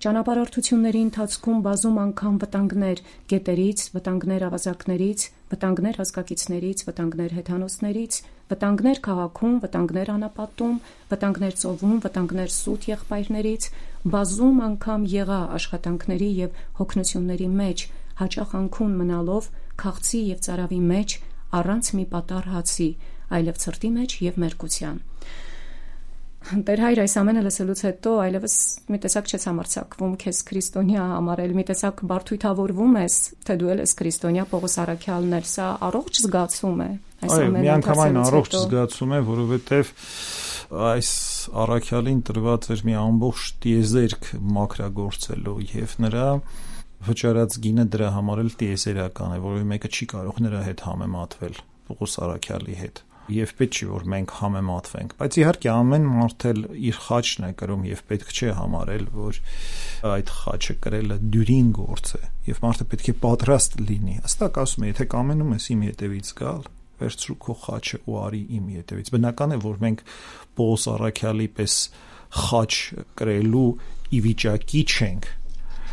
ճանապարհորդությունների ընթացքում բազում անգամ վտանգներ, գետերից, վտանգներ ավազակներից, վտանգներ հսկակիցներից, վտանգներ հեթանոսներից, վտանգներ քաղաքում, վտանգներ անապատում, վտանգներ ծովում, վտանգներ սուտ եղբայրներից, բազում անգամ եղա աշխատանքների եւ հոգնությունների մեջ, հաճախ անքուն մնալով, քաղցի եւ ծարավի մեջ, առանց մի պատառ հացի, այլև ցրտի մեջ եւ մերկության։ Տեր հայր, այս ամենը լսելուց հետո այլևս մի տեսակ չես համարձակվում քեզ քրիստոնյա համարել, մի տեսակ բարդույթավորվում ես, թե դու ես քրիստոնյա, Պողոս Առաքյալն էլ, սա առողջ զգացում է։ Այո, միանգամայն առողջ զգացում է, որովհետև այս Առաքյալին տրված էր մի ամբողջ տիեզերք մաքրագործելու եւ նրա վճարած գինը դրա համար էլ տիեզերական է, որովհետև մեկը չի կարող նրա հետ համեմատվել, Պողոս Առաքյալի հետ։ Եվ պետք չի որ մենք համեմատվենք, բայց իհարկե ամեն մարդ էլ իր խաչն է կրում եւ պետք չէ համարել, որ այդ խաչը կրելը դյուրին գործ է եւ մարդը պետք է պատրաստ լինի։ Հստակ ասում է, եթե կամենում ես իմ հետևից գալ, վերցրու քո խաչը ու արի իմ հետևից։ Բնական է, որ մենք Պողոս Առաքյալի պես խաչ կրելու ի վիճակի չենք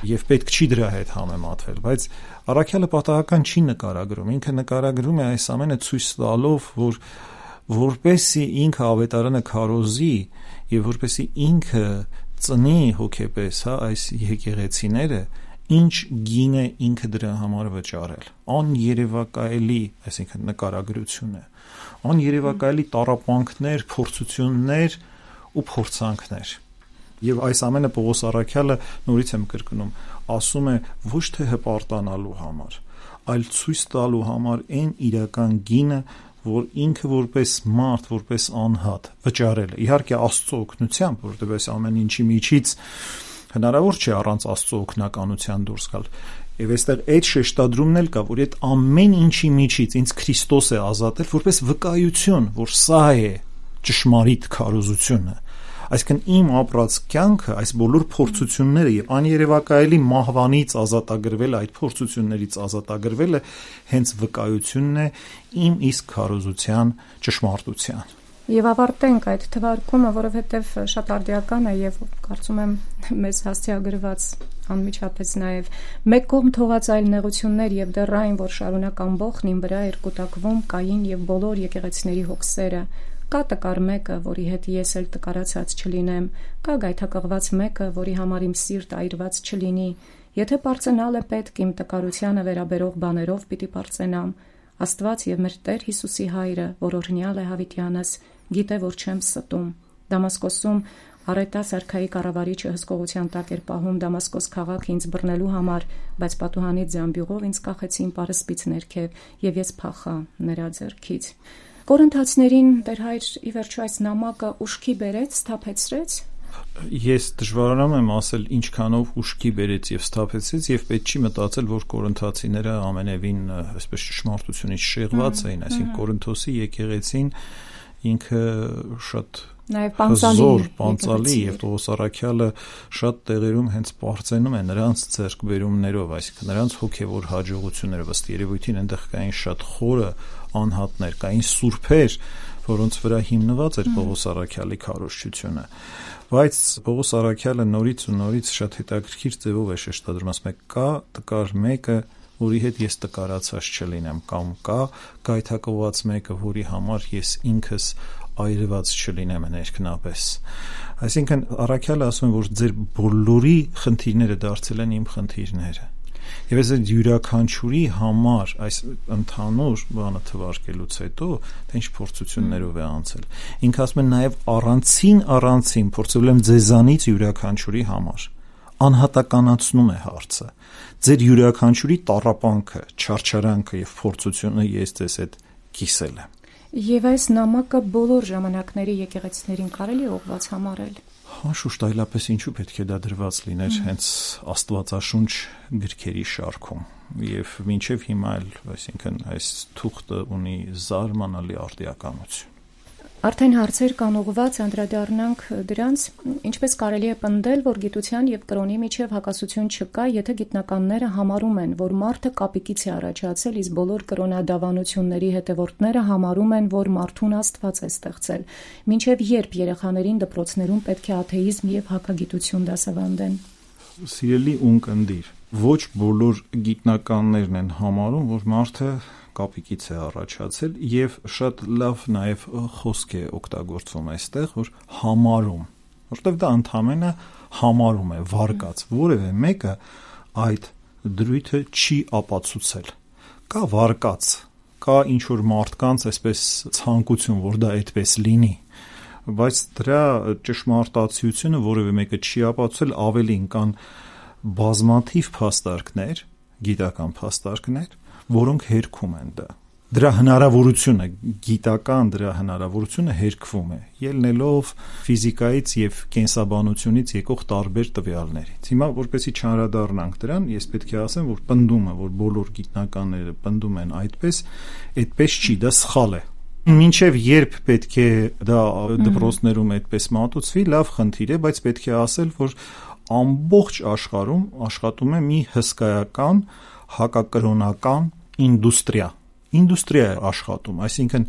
եւ պետք չի դրա հետ համեմատվել, բայց Առաքյալը պատահական չի նկարագրում, ինքը նկարագրում է այս ամենը ցույց տալով, որ որպեսի ինքը ավետարանը քարոզի եւ որպեսի ինքը ծնի հոգեպես, այս եկեղեցիները, ինչ գին է ինքը դրա համար վճարել, աներևակայելի, այսինքն նկարագրություն է, աներևակայելի տառապանքներ, փորձություններ ու փորձանքներ։ Եվ այս ամենը Պողոս Առաքյալը, նորից եմ կրկնում, ասում է ոչ թե հպարտանալու համար, այլ ցույց տալու համար այն իրական գինը, որ ինքը որպես մարդ, որպես անհատ վճարել է։ Իհարկե Աստծո օգնությամբ, որովհետև այս ամեն ինչի միջից հնարավոր չէ առանց Աստծո օգնականության դուրս գալ։ Եվ այստեղ այդ շեշտադրումն էլ կա, որ այդ ամեն ինչի միջից ինձ Քրիստոս է ազատել որպես վկայություն, որ սա է ճշմարիտ քարոզությունը։ Այսինքն իմ ապրած կյանքը, այս բոլոր փորձությունները եւ աներևակայելի մահվանից ազատագրվելը, այդ փորձություններից ազատագրվելը հենց վկայությունն է իմ իսկ քարոզության ճշմարտության։ Եվ ավարտենք այդ թվարկումը, որովհետև շատ արդիական է եւ կարծում եմ մեզ հասցեագրված անմիջապես նաեւ մեկ կողմ թողած այլ նեղություններ եւ դեռ այն, որ շարունակ ամբողջն իմ վրա էր կուտակվում Կային եւ բոլոր եկեղեցիների հոգսերը։ Կա տկար մեկը, որի հետ ես էլ տկարացած չլինեմ, կա գայթակղված մեկը, որի համար իմ սիրտ այրված չլինի։ Եթե պարծենալ է պետք իմ տկարությանը վերաբերող բաներով պիտի պարծենամ։ Աստված եւ մեր Տեր Հիսուսի հայրը, որ օրհնյալ է Հավիտյանս, գիտե, որ չեմ ստում։ Դամասկոսում Արետա սարքայի կառավարիչը հսկողության տակ էր պահում Դամասկոս քաղաքը ինձ բռնելու համար, բայց պատուհանից զամբյուղով ինձ կախեցին պարսպից ներքև եւ ես փախա նրա ձեռքից։ Կորինթացիներին Տեր հայր ի վերջո այս նամակը ուշքի բերեց, սթափեցրեց։ Ես դժվարանամ եմ ասել ինչքանով ուշքի բերեց եւ սթափեցրեց եւ պետք չի մտածել, որ կորինթացիները ամենևին այսպես ճշմարտությունից շեղված էին, այսինքն Կորինթոսի եկեղեցին ինքը շատ նաև պանծալի եւ Պողոս Առաքյալը շատ տեղերում հենց պարծենում է նրանց ձեռքբերումներով, այսինքն նրանց հոգեվոր հաջողություններով, ըստ երևույթին այնտեղ կային շատ խորը անհատներ, կային սուրբեր, որոնց վրա հիմնված էր Պողոս Առաքյալի քարոզչությունը։ Բայց Պողոս Առաքյալը նորից ու նորից շատ հետաքրքիր ձևով է շեշտադրում, ասում է կա տկար մեկը, որի հետ ես տկարացած չլինեմ, կամ կա գայթակղված մեկը, որի համար ես ինքս այրված չլինեմ ներքնապես։ Այսինքն Առաքյալը ասում է, որ ձեր բոլորի խնդիրները դարձել են իմ խնդիրները։ Եվ այս յուրաքանչյուրի համար այս ընդհանուր բանը թվարկելուց հետո թե ինչ փորձություններով է անցել։ Ինքը ասում է նաև առանցին փորձել եմ ձեզանից յուրաքանչյուրի համար։ Անհատականացնում է հարցը։ Ձեր յուրաքանչյուրի տառապանքը, չարչարանքը եւ փորձությունը ես ձեզ հետ կիսել եմ։ Եվ այս նամակը բոլոր ժամանակների եկեղեցիներին կարելի ուղղված համարել։ Անշուշտ այլապես ինչու պետք է դա դրված լիներ հենց Աստվածաշունչ գրքերի շարքում եւ մինչեւ հիմա էլ, այսինքն այս թուղթը ունի զարմանալի արդիականություն։ Արդեն հարցեր կան ուղղված, անդրադառնանք դրանց, ինչպես կարելի է պնդել, որ գիտության եւ կրոնի միջև հակասություն չկա, եթե գիտնականները համարում են, որ մարդը կապիկից է առաջացել, իսկ բոլոր կրոնադավանությունների հետևորդները համարում են, որ մարդուն Աստված է ստեղծել։ Մինչև երբ երեխաներին դպրոցներում պետք է աթեիզմ եւ հակագիտություն դասավանդեն։ Սիրելի ունկնդիր, ոչ բոլոր գիտնականներն են համարում, որ մարդը կապիկից է առաջացել եւ շատ լավ նաեւ խոսք է օգտագործվում այստեղ, որ համարում, որտեղ դա ընդհանրապես համարում է, վարկած, որևէ մեկը այդ դրույթը չի ապացուցել։ Կա վարկած, կա ինչ որ մարդկանց այսպես ցանկություն, որ դա այդպես լինի, բայց դրա ճշմարտացիությունը որևէ մեկը չի ապացուցել, ավելին կան բազմաթիվ փաստարկներ, գիտական փաստարկներ, որոնք հերքում են դա։ Դրա հնարավորությունը, գիտական դրա հնարավորությունը հերկվում է, ելնելով ֆիզիկայից եւ կենսաբանությունից եկող տարբեր տվյալներից։ Հիմա որպեսզի չանդրադառնանք դրան, ես պետք է ասեմ, որ պնդումը, որ բոլոր գիտնականները պնդում են այդպես չի, դա սխալ է։ Մինչև երբ պետք է դա դպրոցներում այդպես մատուցվի, լավ խնդիր է, բայց պետք է ասել, որ ամբողջ աշխարհում աշխատում է մի հսկայական հակակրոնական ինդուստրիա է աշխատում, այսինքն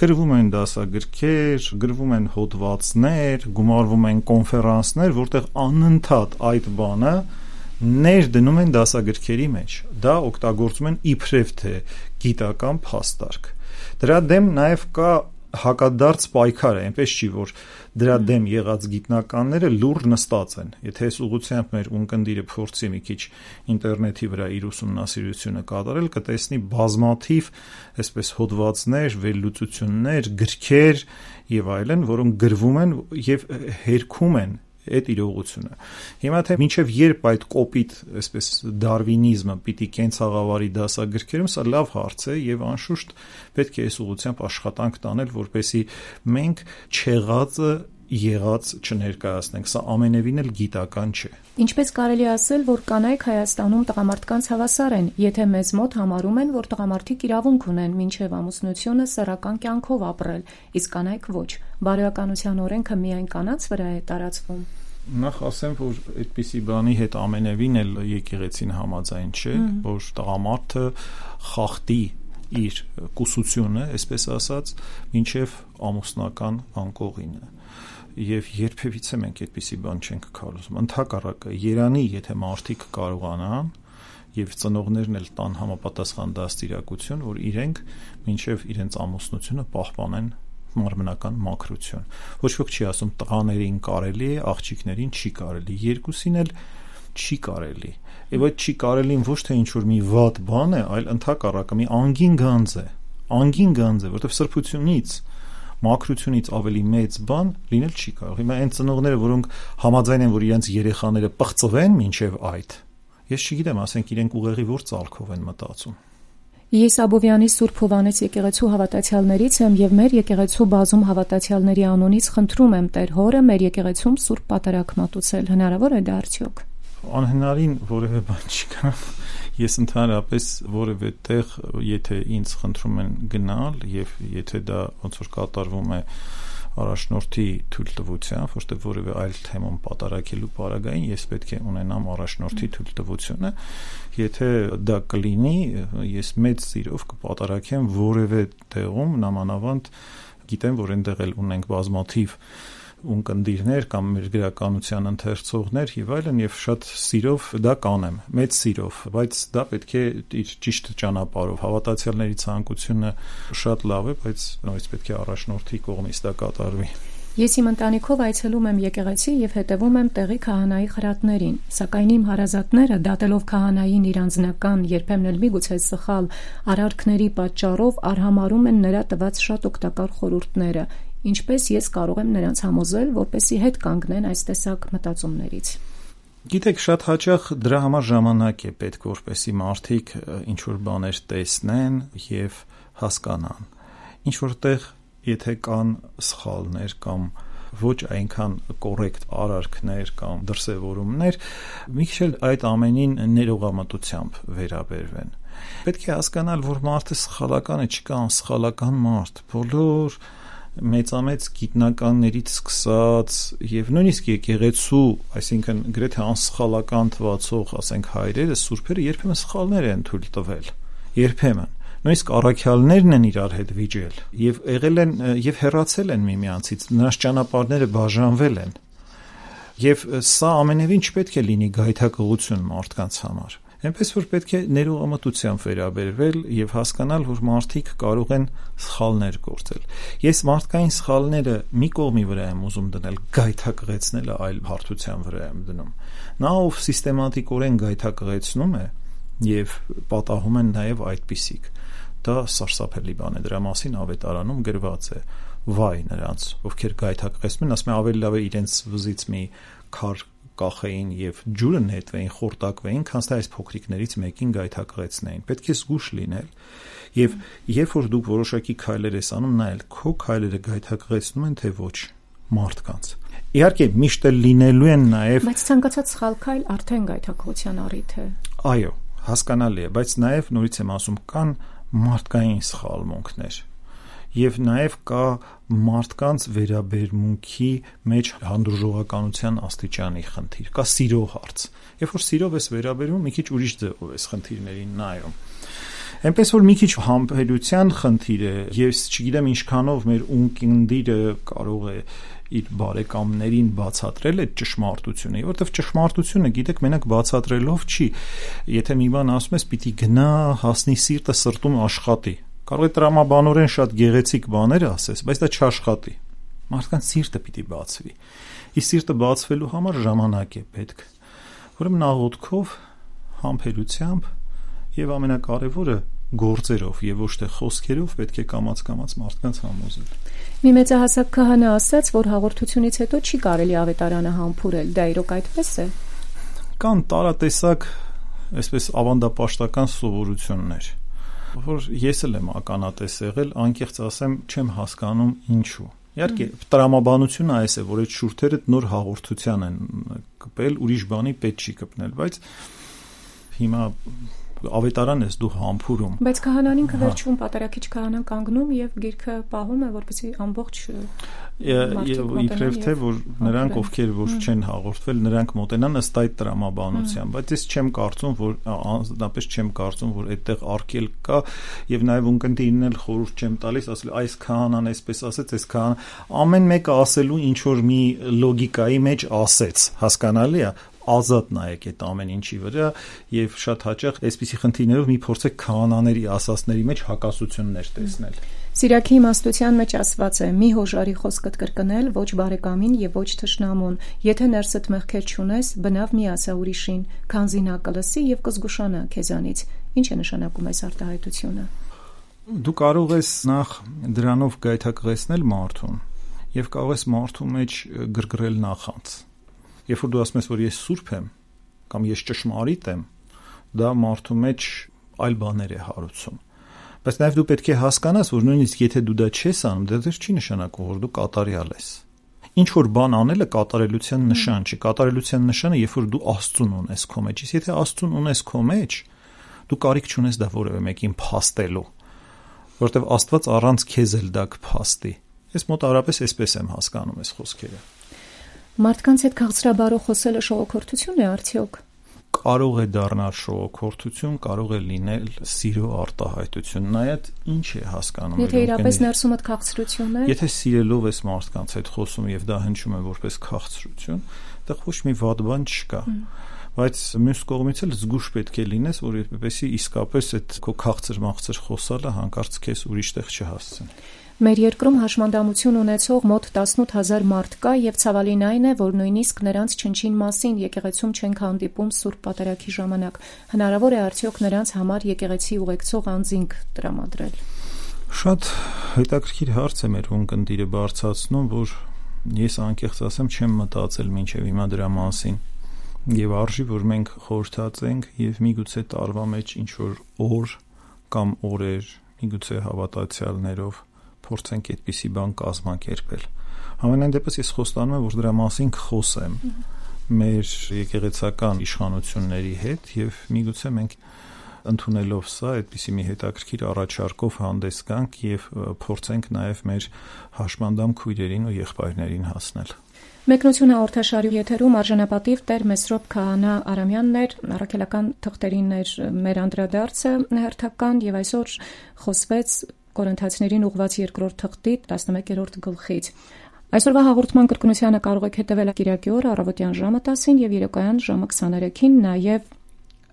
գրվում են դասագրքեր, գրվում են հոդվածներ, գումարվում են կոնֆերանսներ, որտեղ անընդհատ այդ բանը ներդնում են դասագրքերի մեջ, դա օգտագործում են իբրև թե գիտական փաստարկ։ Դրա դեմ նաև կա հակադարձ պայքար է, այնպես չի, որ դրա դեմ եղած գիտնականները լուռ նստած են։ Եթե այս ուղղությամբ մեր ունկնդիրը փորձի մի քիչ ինտերնետի վրա իր ուսումնասիրությունը կատարել, կտեսնի բազմաթիվ այսպես հոդվածներ, վերլուծություններ, գրքեր եւ այլն, որոնք գրվում են եւ հերքում են այդ իրողությունը։ Հիմա թե մինչև երբ այդ կոպիտ, այսպես դարվինիզմը պիտի կենցաղավարի դասագրքերում, սա լավ հարց է եւ անշուշտ պետք է այս ուղղությամբ աշխատանք տանել, որպեսզի մենք չեղածը եղած չներկայացնենք, սա ամենևին էլ գիտական չէ։ Ինչպես կարելի ասել, որ կանայք Հայաստանում տղամարդկանց հավասար են, եթե մեզ մոտ համարում են, որ տղամարդիկ իրավունք ունեն մինչև ամուսնությունը սեռական կյանքով ապրել, իսկ կանայք ոչ։ Բարոյականության օրենքը միայն կանանց վրա է տարածվում։ Նախ ասեմ, որ այդպիսի բանի հետ ամենևին էլ եկեղեցին համաձայն չէ, որ տղամարդը խախտի իր կուսությունը, այսպես ասած, մինչև ամուսնական անկողինը։ Եվ երբևիցե մենք այդպիսի բան չենք քարոզում։ Ընդհակառակը, երանի, եթե մարդիկ կարողանան եւ ծնողներն էլ տան համապատասխան դաստիարակություն, որ իրենք մինչեւ իրենց ամուսնությունը պահպանեն մարմնական մաքրություն։ Ոչ ոք չի ասում տղաներին կարելի է, աղջիկներին չի կարելի, երկուսին էլ չի կարելի։ Եվ այդ չի կարելին ոչ թե ինչ որ մի վատ բան է, այլ ընդհակառակը մի անգին գանձ է, որտեղ սրբությունից մաքրությունից ավելի մեծ բան լինել չի կարող։ Հիմա այն ծնողները, որոնք համաձայն են, որ իրենց երեխաները պղծվեն մինչև այդ, ես չգիտեմ, ասենք իրենք ուղեղի որ ծալքով են մտածում։ Ես Աբովյանի Սուրբ Հովհաննես եկեղեցու հավատացյալներից եմ եւ մեր եկեղեցու բազում հավատացյալների անունից խնդրում եմ Տեր Հորը մեր եկեղեցում Սուրբ Պատարագ մատուցել, հնարավոր է դա արդյոք։ Անհնարին որևէ բան չկա։ Ես ընդհանրապես որևէ տեղ, եթե ինձ խնդրում են գնալ եւ եթե դա ոնց որ կատարվում է առաջնորդի թույլտվությամբ, որտեղ որևէ այլ թեման պատարակելու պարագային ես պետք է ունենամ առաջնորդի թույլտվությունը, եթե դա կլինի, ես մեծ սիրով կպատարակեմ որևէ տեղում, նամանավանդ գիտեմ, որ այնտեղ էլ ունենք բազմաթիվ ունկնդիրներ կամ մեր գրականության ընթերցողներ եւ այլն եւ շատ սիրով դա կանեմ, մեծ սիրով, բայց դա պետք է իր ճիշտ ճանապարհով, հավատացյալների ցանկությունը շատ լավ է, բայց նույնիսկ պետք է առաջնորդի կողմից դա կատարվի։ Ես իմ ընտանիքով այցելում եմ եկեղեցի եւ հետևում եմ տեղի քահանայի խրատներին, սակայն իմ հարազատները դատելով քահանային իր անձնական, երբեմն էլ միգուցե սխալ արարքների պատճառով արհամարում են նրա տված շատ օգտակար խորհուրդները, ինչպես ես կարող եմ նրանց համոզել, որպեսզի հետ կանգնեն այս տեսակ մտածումներից։ Գիտեք, շատ հաճախ դրա համար ժամանակ է պետք, որպեսզի մարդիկ ինչ որ բաներ տեսնեն եւ հասկանան։ ինչ որտեղ եթե կան սխալներ կամ ոչ այնքան կոռեկտ արարքներ կամ դրսևորումներ, մի քիչ էլ այդ ամենին ներողամտությամբ վերաբերվեն։ Պետք է հասկանալ, որ մարդը սխալական է, չկա անսխալական մարդ։ Բոլոր մեծամեծ գիտնականներից սկսած եւ նույնիսկ եկեղեցու, այսինքն գրեթե անսխալական թվացող, ասենք հայրերը, սուրբերը երբեմն սխալներ են թույլ տվել։ Երբեմն նույնիսկ առաքյալներն են իրար հետ վիճել եւ եղել են եւ հեռացել են միմյանցից, նրանց ճանապարհները բաժանվել են։ Եվ սա ամենևին չպետք է լինի գայթակղություն մարդկանց համար։ Այնպես որ պետք է ներողամտությամբ վերաբերվել եւ հասկանալ, որ մարդիկ կարող են սխալներ գործել։ Ես մարդկային սխալները մի կողմի վրա եմ ուզում դնել, գայթակղեցնելը այլ հարթության վրա եմ դնում։ Նա ով սիստեմատիկորեն գայթակղեցնում է եւ պատահում են նաեւ այդպիսիք, դա սարսափելի բան է, դրա մասին ավետարանում գրված է. վայ նրանց, ովքեր գայթակղեցնում են, ասում են ավելի լավ է իրենց վզից մի քար կախեին եւ ջուրը նետվեին, խորտակվեին, քան թե այս փոքրիկներից մեկին գայթակղեցնեին։ Պետք է զգուշ լինել եւ երբ որ դուք որոշակի քայլեր ես անում, նայել քո քայլերը գայթակղեցնում են թե ոչ մարդկանց։ Իհարկե միշտ էլ լինելու են նաեւ, բայց ցանկացած սխալ քայլ արդեն գայթակղության առիթ է։ Այո, հասկանալի է, բայց նաեւ նորից եմ ասում, կան մարդկային սխալմունքներ եւ նաեւ կա մարդկանց վերաբերմունքի մեջ հանդուրժողականության աստիճանի խնդիր, կա սիրո հարց։ Երբ որ սիրով ես վերաբերվում, մի քիչ ուրիշ ձևով ես խնդիրներին նայում։ Այնպես որ մի քիչ համբերության խնդիր է, ես չգիտեմ ինչքանով մեր ունկնդիրը կարող է իր բարեկամներին բացատրել այդ ճշմարտությունը, որովհետև ճշմարտությունը, գիտեք, մենակ բացատրելով չի։ Եթե մի բան ասում ես, պիտի գնա, հասնի սիրտը սրտում աշխատի։ Կարող է տրամաբանորեն շատ գեղեցիկ բաներ ասես, բայց դա չաշխատի։ Մարդկանց սիրտը պիտի բացվի։ Իսկ սիրտը բացվելու համար ժամանակ է պետք։ Ուրեմն աղոթքով, համբերությամբ եւ ամենակարևորը գործերով եւ ոչ թե խոսքերով պետք է կամաց-կամաց մարդկանց համոզել։ Մի մեծահասակ քահանա ասաց, որ հաղորդությունից հետո չի կարելի ավետարանը համբուրել, դա իրոք այդպես է։ Կան տարատեսակ, այսպես ավանդապաշտական սովորություններ, որ ես էլ եմ ականատես եղել, անկեղծ ասեմ, չեմ հասկանում ինչու։ Իհարկե, տրամաբանությունը այս է, որ այդ շուրթերը նոր հաղորդության են կպել, ուրիշ բանի պետք չի կպնել, բայց հիմա ավետարան ես դու համբուրում։ Բայց քահանան ինքը վերջում պատարագիչ քահանան կանգնում եւ գիրքը պահում է, որպեսզի ամբողջ իբրև թե որ նրանք ովքեր որ չեն հաղորդվել, նրանք մոտենան ըստ այդ տրամաբանության, բայց ես չեմ կարծում, որ անձնապես չեմ կարծում, որ այդտեղ արկել կա եւ նաեւ ունկնդիրն էլ խորհուրդ չեմ տալիս, ասել այս քահանան այսպես ասեց, այս քահանան ամեն մեկը ասելու ինչ որ մի լոգիկայի մեջ ասեց, հասկանալի է, ազատ նայեք այդ ամեն ինչի վրա եւ շատ հաճախ այսպիսի խնդիրներով մի փորձեք քահանաների ասածների մեջ հակասություններ տեսնել։ Սիրակի իմաստության մեջ ասված է. մի հոժարի խոսքդ կրկնել ոչ բարեկամին եւ ոչ թշնամուն, եթե ներսդ մեղքեր չունես, բնավ մի ասա ուրիշին, քանզի նա կլսի եւ կզգուշանա քեզանից։ Ինչ է նշանակում այս արտահայտությունը։ Դու կարող ես նախ դրանով գայթակղեցնել մարդուն եւ կարող ես մարդու մեջ գրգռել նախանց։ Երբ որ դու ասում ես, որ ես սուրբ եմ կամ ես ճշմարիտ եմ, դա մարդու մեջ այլ բաներ է հարուցում։ Բայց նաև դու պետք է հասկանաս, որ նույնիսկ եթե դու դա չես անում, դա դեռ չի նշանակում, որ դու կատարյալ ես։ Ինչ որ բան անելը կատարելության նշան չի։ Կատարելության նշանը, երբ որ դու Աստծուն ունես քո մեջ, իսկ եթե Աստծուն ունես քո մեջ, դու կարիք չունես դա որևէ մեկին փաստելու, որովհետև Աստված առանց քեզ էլ դա կփաստի։ Ես մոտավորապես այսպես եմ հասկանում այս խոսքերը։ Մարդկանց հետ քաղցրաբարով խոսելը շողոքորթություն է արդյոք։ Կարող է դառնալ շողոքորթություն, կարող է լինել սիրո արտահայտություն, նայած ինչ է հասկանում։ Եթե իրապես ներսումդ քաղցրություն է։ Եթե սիրելով ես մարդկանց հետ խոսում եւ դա հնչում է որպես քաղցրություն, դա ոչ մի վատ բան չկա։ Բայց մյուս կողմից էլ զգուշ պետք է լինես, որովհետեւ իսկապես այդ քո քաղցր-մաղցր խոսալը հանկարծ քեզ ուրիշ տեղ չհասցնի։ Մեր երկրում հաշմանդամություն ունեցող մոտ 18000 մարդ կա եւ ցավալին այն է, որ նույնիսկ նրանց չնչին մասին եկեղեցում չենք հանդիպում Սուրբ Պատարագի ժամանակ։ Հնարավոր է արդյոք նրանց համար եկեղեցի ուղեկցող անձինք տրամադրել։ Շատ հետաքրքիր հարց է մեր ունկնդիրը բարձրացնում, որ ես անկեղծ ասեմ չեմ մտածել մինչեւ հիմա դրա մասին։ Եվ արժի, որ մենք խորհրդացենք եւ միգուցե տարվա մեջ ինչ որ օր կամ օրեր, միգուցե հավատացյալներով փորձենք այդպիսի բան կազմակերպել։ Համենայն դեպս ես խոստանում եմ, որ դրա մասին կխոսեմ մեր եկեղեցական իշխանությունների հետ եւ միգուցե մենք ընդունելով սա այդպիսի մի հետաքրքիր առաջարկով հանդես գանք եւ փորձենք նաեւ մեր հաշմանդամ քույրերին ու եղբայրներին հասնել։ Մեկնություն հաղորդաշարի եթերում արժանապատիվ Տեր Մեսրոպ Քահանա Արամյանն էր, առաքելական թղթերին էր մեր անդրադարձը հերթական եւ այսօր խոսվեց Կորինթացիներին ուղղված 2-րդ թղթի 11-րդ գլխից։ Այսօրվա հաղորդման կրկնությանը կարող եք հետևել Կիրակի օրը առավոտյան ժամը 10-ին եւ երեկոյան ժամը 23-ին, նաեւ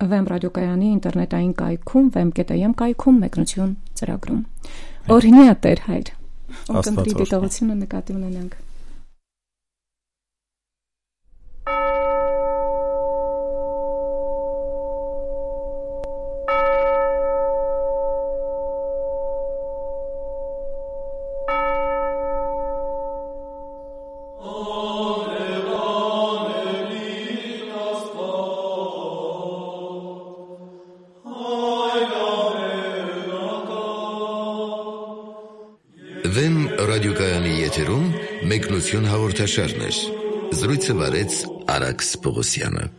Վեմ ռադիոկայանի ինտերնետային կայքում, vem.am կայքում մեկնություն ծրագրում։ Օրհնյա Տեր Հայր։ Ողջույն դիտողությունը նկատի ունենանք։ Վեմ ռադիոկայանի եթերում մեկնություն հաղորդաշարներ։ Զրույցը վարեց Արաքս Պողոսյանը։